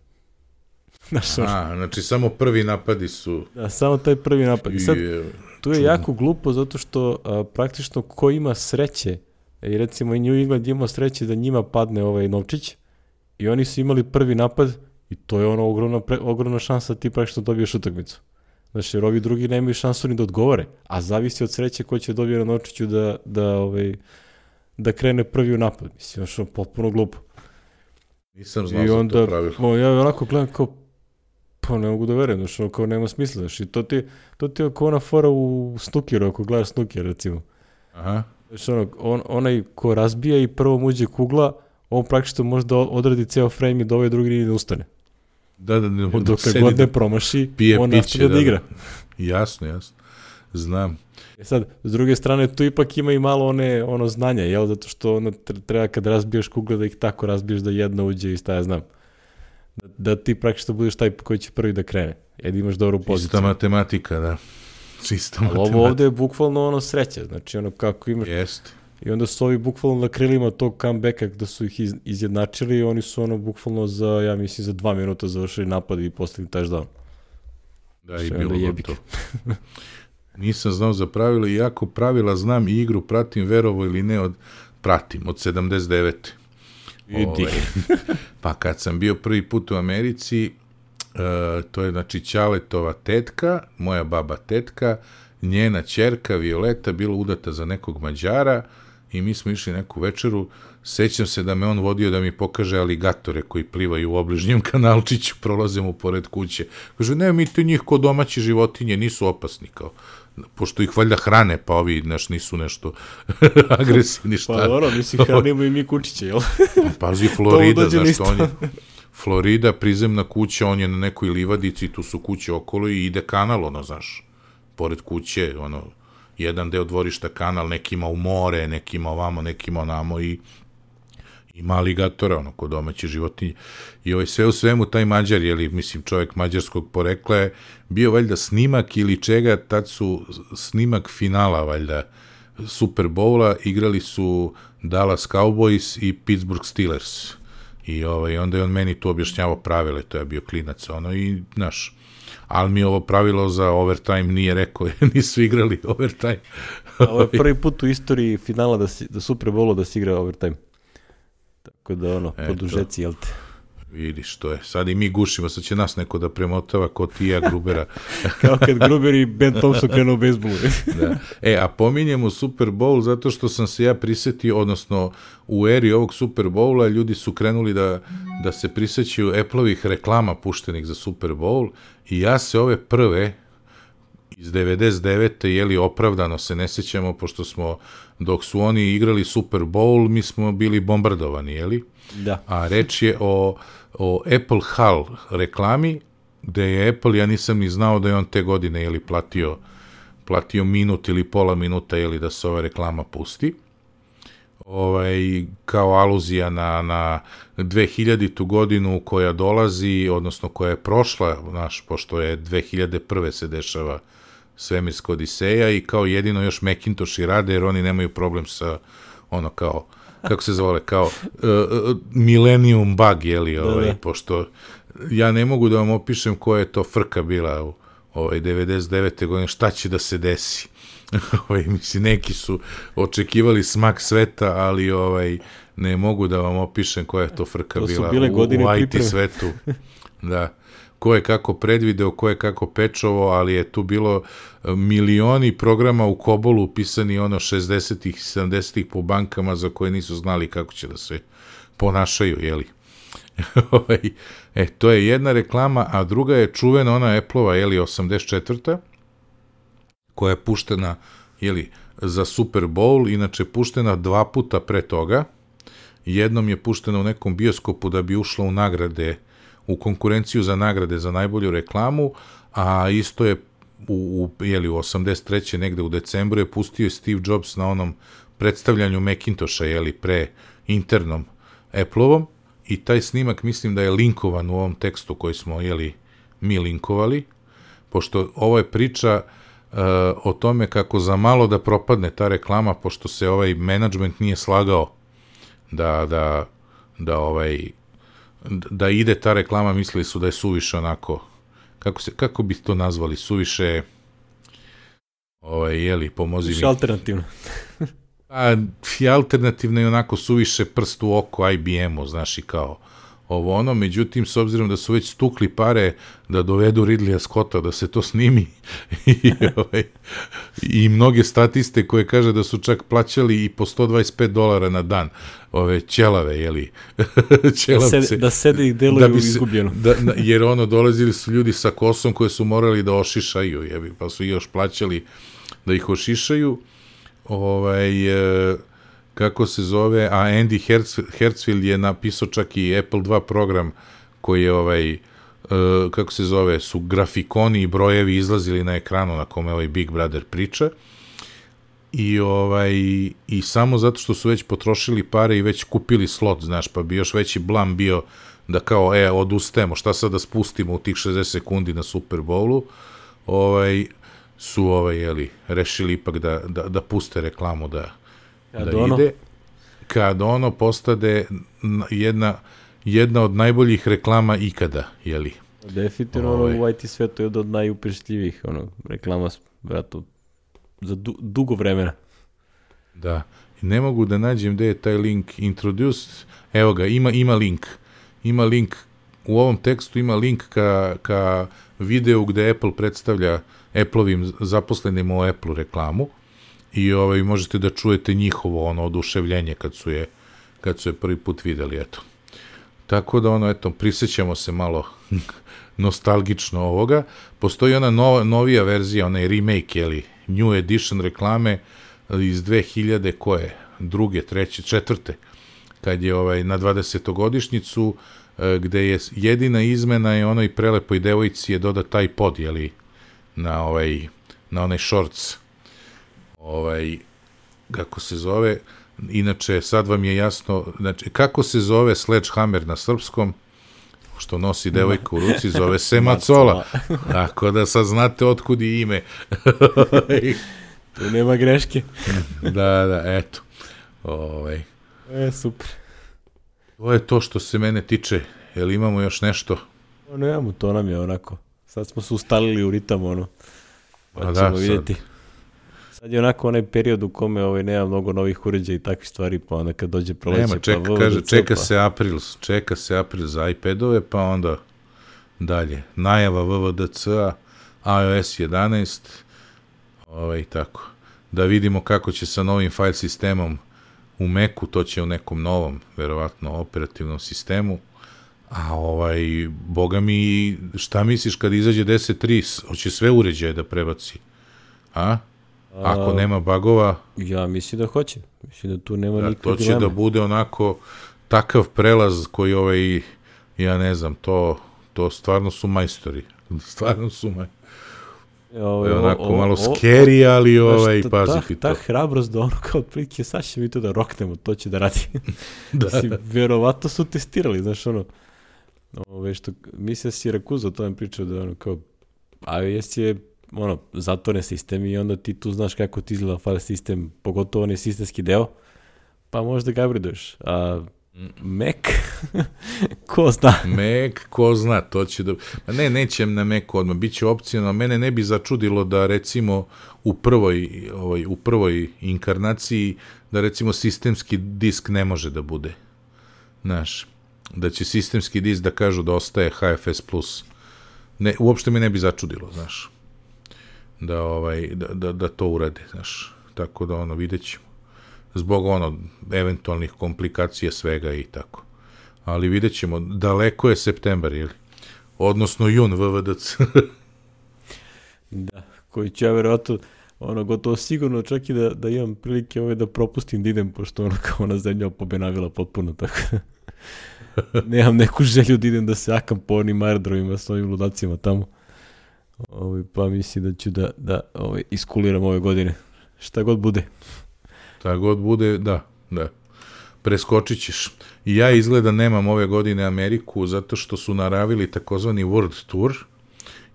A, znači samo prvi napadi su... Da, samo taj prvi napad. I sad, tu je čudno. Jako glupo zato što a, praktično ko ima sreće, i recimo i New England imao sreće da njima padne ovaj novčić i oni su imali prvi napad i to je ono ogromna, pre, ogromna šansa da ti praktično dobiješ utakmicu. Znači jer ovi drugi nemaju šansu ni da odgovore, a zavisi od sreće ko će dobije na novčiću da, da, ovaj, da krene prvi u napad. Mislim, što je potpuno glupo. Nisam znao za to pravilo. O, ja onako gledam kao pa ne mogu da verujem, znači ono kao nema smisla, znači to ti, to ti je kao ona fora u snukeru, ako gledaš snuker recimo. Aha. Znači ono, on, onaj ko razbija i prvo muđe kugla, on praktično može da odradi ceo frame i da ovaj drugi ne ustane. Da, da, ne dok god ne promaši, on nastavlja da, da igra. Jasno, jasno, znam. E sad, s druge strane, tu ipak ima i malo one, ono znanja, jel, zato što ono, treba kad razbijaš kugle da ih tako razbiješ da jedna uđe i šta ja znam. Da, da ti praktično budeš taj koji će prvi da krene, jer imaš dobru poziciju. Čista matematika, da. Čista matematika. Ali ovo ovde je bukvalno ono sreća, znači ono kako imaš... Jeste. I onda su ovi bukvalno na krilima tog comebacka da su ih iz, izjednačili i oni su ono bukvalno za, ja mislim, za dva minuta završili napad i postigli touchdown. Da, i bilo gotovo. Nisam znao za pravila, iako pravila znam i igru pratim, verovo ili ne, od, pratim, od sedamdeset devete Idi. Ove, pa kad sam bio prvi put u Americi, uh, to je znači Ćaletova tetka, moja baba tetka, njena ćerka Violeta bila udata za nekog Mađara i mi smo išli neku večeru. Sećam se da me on vodio da mi pokaže aligatore koji plivaju u obližnjem kanalčiću, prolaze mu pored kuće. Kaže, ne, mi te njih ko domaći životinje nisu opasni, kao, pošto ih valjda hrane, pa ovi naš nisu nešto agresivni šta. Pa dobro, mislim, hranimo i mi kučiće, jel? Pazi, Florida, zašto on je... Florida, prizemna kuća, on je na nekoj livadici, tu su kuće okolo i ide kanal, ono, znaš, pored kuće, ono, jedan deo dvorišta kanal, nekima u more, nekima ovamo, nekima onamo i ima aligatora, ono, kod domaće životinje. I ovaj, sve u svemu, taj Mađar, jeli, mislim, čovjek mađarskog porekla je bio valjda snimak ili čega, tad su snimak finala, valjda, Super Bowla, igrali su Dallas Cowboys i Pittsburgh Steelers. I ovaj, onda je on meni tu objašnjavao pravile, to je bio klinac, ono, i, znaš, ali mi ovo pravilo za overtime nije rekao, nisu igrali overtime. Ovo je prvi put u istoriji finala da, si, da Super Bowlu da se igra overtime. Tako da, ono, e, podužeci, jel te? Vidiš, to je. Sad i mi gušimo, sad će nas neko da premotava ko ti ja Grubera. Kao kad Gruber i Ben Thompson krenu u bejsbolu. Da. E, a pominjemo Super Bowl zato što sam se ja prisetio, odnosno u eri ovog Super Bowla ljudi su krenuli da, da se prisećaju Apple-ovih reklama puštenih za Super Bowl i ja se ove prve iz devedeset devete jeli opravdano se ne sećamo, pošto smo, dok su oni igrali Super Bowl, mi smo bili bombardovani, jeli? Da. A reč je o, o Apple Hall reklami, gde je Apple, ja nisam ni znao da je on te godine, jeli, platio, platio minut ili pola minuta, jeli, da se ova reklama pusti. Ovaj, kao aluzija na, na dvehiljaditu godinu koja dolazi, odnosno koja je prošla, znaš, pošto je dve hiljade prve se dešava svemirska odiseja i kao jedino još Macintoshi rade, jer oni nemaju problem sa, ono, kao, kako se zove, kao uh, Millennium Bug, jeli, ovaj, da, da. Pošto ja ne mogu da vam opišem koja je to frka bila u ovaj, devedeset devete godine, šta će da se desi. Ovaj, mislim, neki su očekivali smak sveta, ali ovaj, ne mogu da vam opišem koja je to frka to bila u, u I T svetu. Da. Ko je kako predvideo, ko je kako pečovo, ali je tu bilo milioni programa u Kobolu pisani ono šezdesetih, sedamdesetih po bankama za koje nisu znali kako će da se ponašaju, jeli. E, to je jedna reklama, a druga je čuvena ona Apple-ova, jeli, osamdeset četvrta koja je puštena, jeli, za Super Bowl, inače puštena dva puta pre toga. Jednom je puštena u nekom bioskopu da bi ušla u nagrade, u konkurenciju za nagrade za najbolju reklamu, a isto je u, u, jeli, u osamdeset treće negde u decembru je pustio Steve Jobs na onom predstavljanju Macintosha, jeli, pre internom Apple-ovom, i taj snimak mislim da je linkovan u ovom tekstu koji smo, jeli, mi linkovali, pošto ovo je priča uh, o tome kako za malo da propadne ta reklama, pošto se ovaj menadžment nije slagao da, da, da ovaj da ide ta reklama, mislili su da je suviše onako, kako se, kako bi to nazvali, suviše ovaj, jeli, pomozi mi. Suviše alternativno. A, i alternativno je onako suviše prst u oko I B M-u, znaš, i kao ovo ono, međutim, s obzirom da su već stukli pare da dovedu Ridleya Scotta da se to snimi i, ovaj, i mnoge statiste koje kaže da su čak plaćali i po sto dvadeset pet dolara na dan ove ćelave, jeli, ćelavce. Da, sed, da sede i deluju da izgubljeno. Da, jer ono, dolazili su ljudi sa kosom koje su morali da ošišaju, jebi, pa su još plaćali da ih ošišaju. Ovaj, e, kako se zove, a Andy Herz, Hertzfeld je napisao čak i Apple dva program koji je, ovaj, e, kako se zove, su grafikoni i brojevi izlazili na ekranu na kome ovaj Big Brother priča. I, ovaj, i samo zato što su već potrošili pare i već kupili slot, znaš, pa bi još veći blam bio da kao, e, odustajemo, šta sad da spustimo u tih šezdeset sekundi na Super Bowlu, ovaj, su, ovaj, jeli, rešili ipak da, da, da puste reklamu da, da ono, ide. Kad ono postade jedna, jedna od najboljih reklama ikada, jeli. Definitivno ovaj. Ono u I T svetu je od najupečatljivih ono, reklama, vrato, za du, dugo vremena. Da. I ne mogu da nađem gde je taj link introduced. Evo ga, ima, ima link. Ima link, u ovom tekstu ima link ka, ka videu gde Apple predstavlja Apple-ovim zaposlenim u Apple reklamu i ovaj, možete da čujete njihovo ono oduševljenje kad su je, kad su je prvi put videli, eto. Tako da ono, eto, prisjećamo se malo nostalgično ovoga. Postoji ona nova, novija verzija, onaj remake, jeli, New Edition reklame iz dve hiljade koje, druge, treće, četvrte, kad je ovaj, na dvadesetogodišnjicu, gde je jedina izmena je onoj prelepoj devojci je doda taj pod, jeli, na ovaj, na onaj shorts, ovaj, kako se zove, inače sad vam je jasno, znači, kako se zove Sledgehammer na srpskom, što nosi devojka u ruci, zove se macola. Tako da sad znate otkud i ime. Tu nema greške. Da, da, eto. Ovaj. E, super. To je to što se mene tiče. Jel imamo još nešto? O, nemamo, to nam je onako. Sad smo se ustalili u ritam, ono. Pa ćemo da, vidjeti. Sad. sad je onako onaj period u kome ovaj, nema mnogo novih uređaja i takvih stvari, pa onda kad dođe proleće... Nema, čeka, pa kaže, čeka pa... se april, čeka se april za iPadove, pa onda dalje. Najava V V D C-a, iOS jedanaest, ovaj, tako. Da vidimo kako će sa novim file sistemom u Macu, to će u nekom novom, verovatno, operativnom sistemu. A ovaj, boga mi, šta misliš kad izađe deset tri, hoće sve uređaje da prebaci? A? Ako nema bagova... Ja mislim da hoće. Mislim da tu nema da, nikakve to će dileme. da bude onako takav prelaz koji ovaj, ja ne znam, to, to stvarno su majstori. Stvarno su majstori. Ovo je onako o, o, malo scary, ali ovaj, paziti ta, to. Ta hrabrost da ono kao otprilike, sad će mi to da roknemo, to će da radi. da. Mislim, verovatno su testirali, znaš ono, ove što, mislim da si Rakuza o tome pričao da ono kao, iOS je ono, zatvoren sistem i onda ti tu znaš kako ti izgleda file sistem, pogotovo onaj sistemski deo, pa možda ga upgradeuješ. A Mac, ko zna? Mac, ko zna, to će da... Ma ne, nećem na Macu odmah, bit će opcionalno. Mene ne bi začudilo da recimo u prvoj, ovaj, u prvoj inkarnaciji da recimo sistemski disk ne može da bude. Znaš, da će sistemski disk da kažu da ostaje H F S plus. Ne, uopšte me ne bi začudilo, znaš. Da, ovaj, da, da, da to urade, znaš. Tako da, ono, vidjet ćemo. Zbog, ono, eventualnih komplikacija svega i tako. Ali vidjet ćemo, daleko je septembar, ili? Odnosno jun, V V D C. Da, koji će ja verovatno, ono, gotovo sigurno čak i da, da imam prilike ove da propustim da idem, pošto ono kao ona zemlja opobenavila potpuno, tako da nemam neku želju da idem da se akam po onim aerodromima s ovim ludacima tamo. Ovi, pa mislim da ću da, da ovi, iskuliram ove godine. Šta god bude. Šta god bude, da, da. Preskočit ćeš. I ja izgleda nemam ove godine Ameriku, zato što su naravili takozvani World Tour.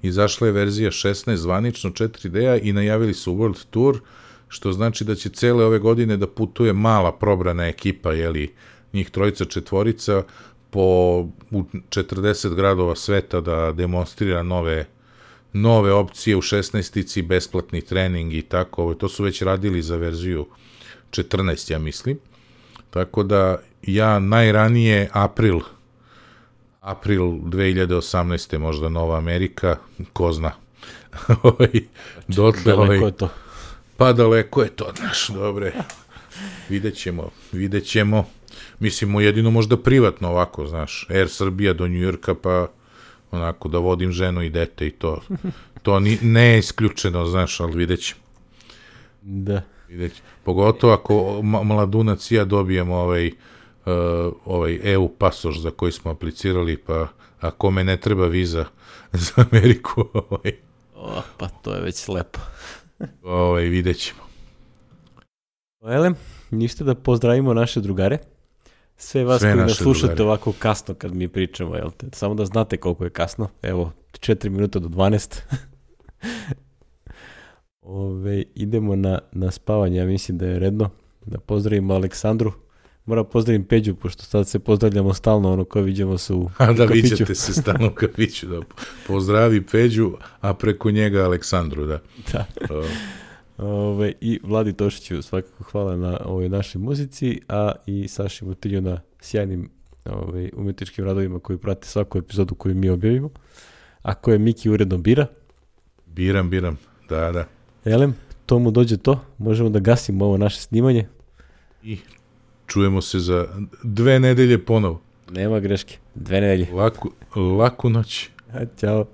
Izašla je verzija šesnaest zvanično četiri D-a i najavili su World Tour, što znači da će cele ove godine da putuje mala probrana ekipa, jeli, njih trojica, četvorica, po u četrdeset gradova sveta da demonstrira nove, nove opcije u šesnaestici, besplatni trening i tako. Ovo, to su već radili za verziju četrnaest, ja mislim. Tako da ja najranije april, april dve hiljade osamnaeste možda Nova Amerika, ko zna. Dotle, daleko ovaj, je to. Pa daleko je to, znaš, dobre. Vidjet ćemo, vidjet ćemo. Mislimo jedino možda privatno ovako, znaš, Air Srbija do Njujorka, pa onako da vodim ženu i dete i to. To ni, ne je isključeno, znaš, ali vidjet ćemo. Da. Vidjet ćemo. Pogotovo ako mladunac i ja dobijemo ovaj, uh, ovaj E U pasoš za koji smo aplicirali, pa ako me ne treba viza za Ameriku, ovaj, o, pa to je već lepo. ovaj, vidjet ćemo. Elem, ništa da pozdravimo naše drugare. Sve vas Sve koji nas slušate drugare. Ovako kasno kad mi pričamo, jel te? Samo da znate koliko je kasno. Evo, četiri minuta do dvanaest. Ove, idemo na, na spavanje, ja mislim da je redno. Da pozdravimo Aleksandru. Moram pozdravim Peđu, pošto sad se pozdravljamo stalno, ono kao vidimo se u, a, u da, kafiću. Da, viđate se stalno u kafiću. Da. Pozdravi Peđu, a preko njega Aleksandru, da. Da. Ove, i Vladi Tošiću svakako hvala na ovoj našoj muzici, a i Saši Mutilju na sjajnim ove, umetničkim radovima koji prate svaku epizodu koju mi objavimo, a koje Miki uredno bira. Biram, biram, da, da. Elem, to mu dođe to, možemo da gasimo ovo naše snimanje. I čujemo se za dve nedelje ponovo. Nema greške, dve nedelje. Laku, laku noć. Ćao.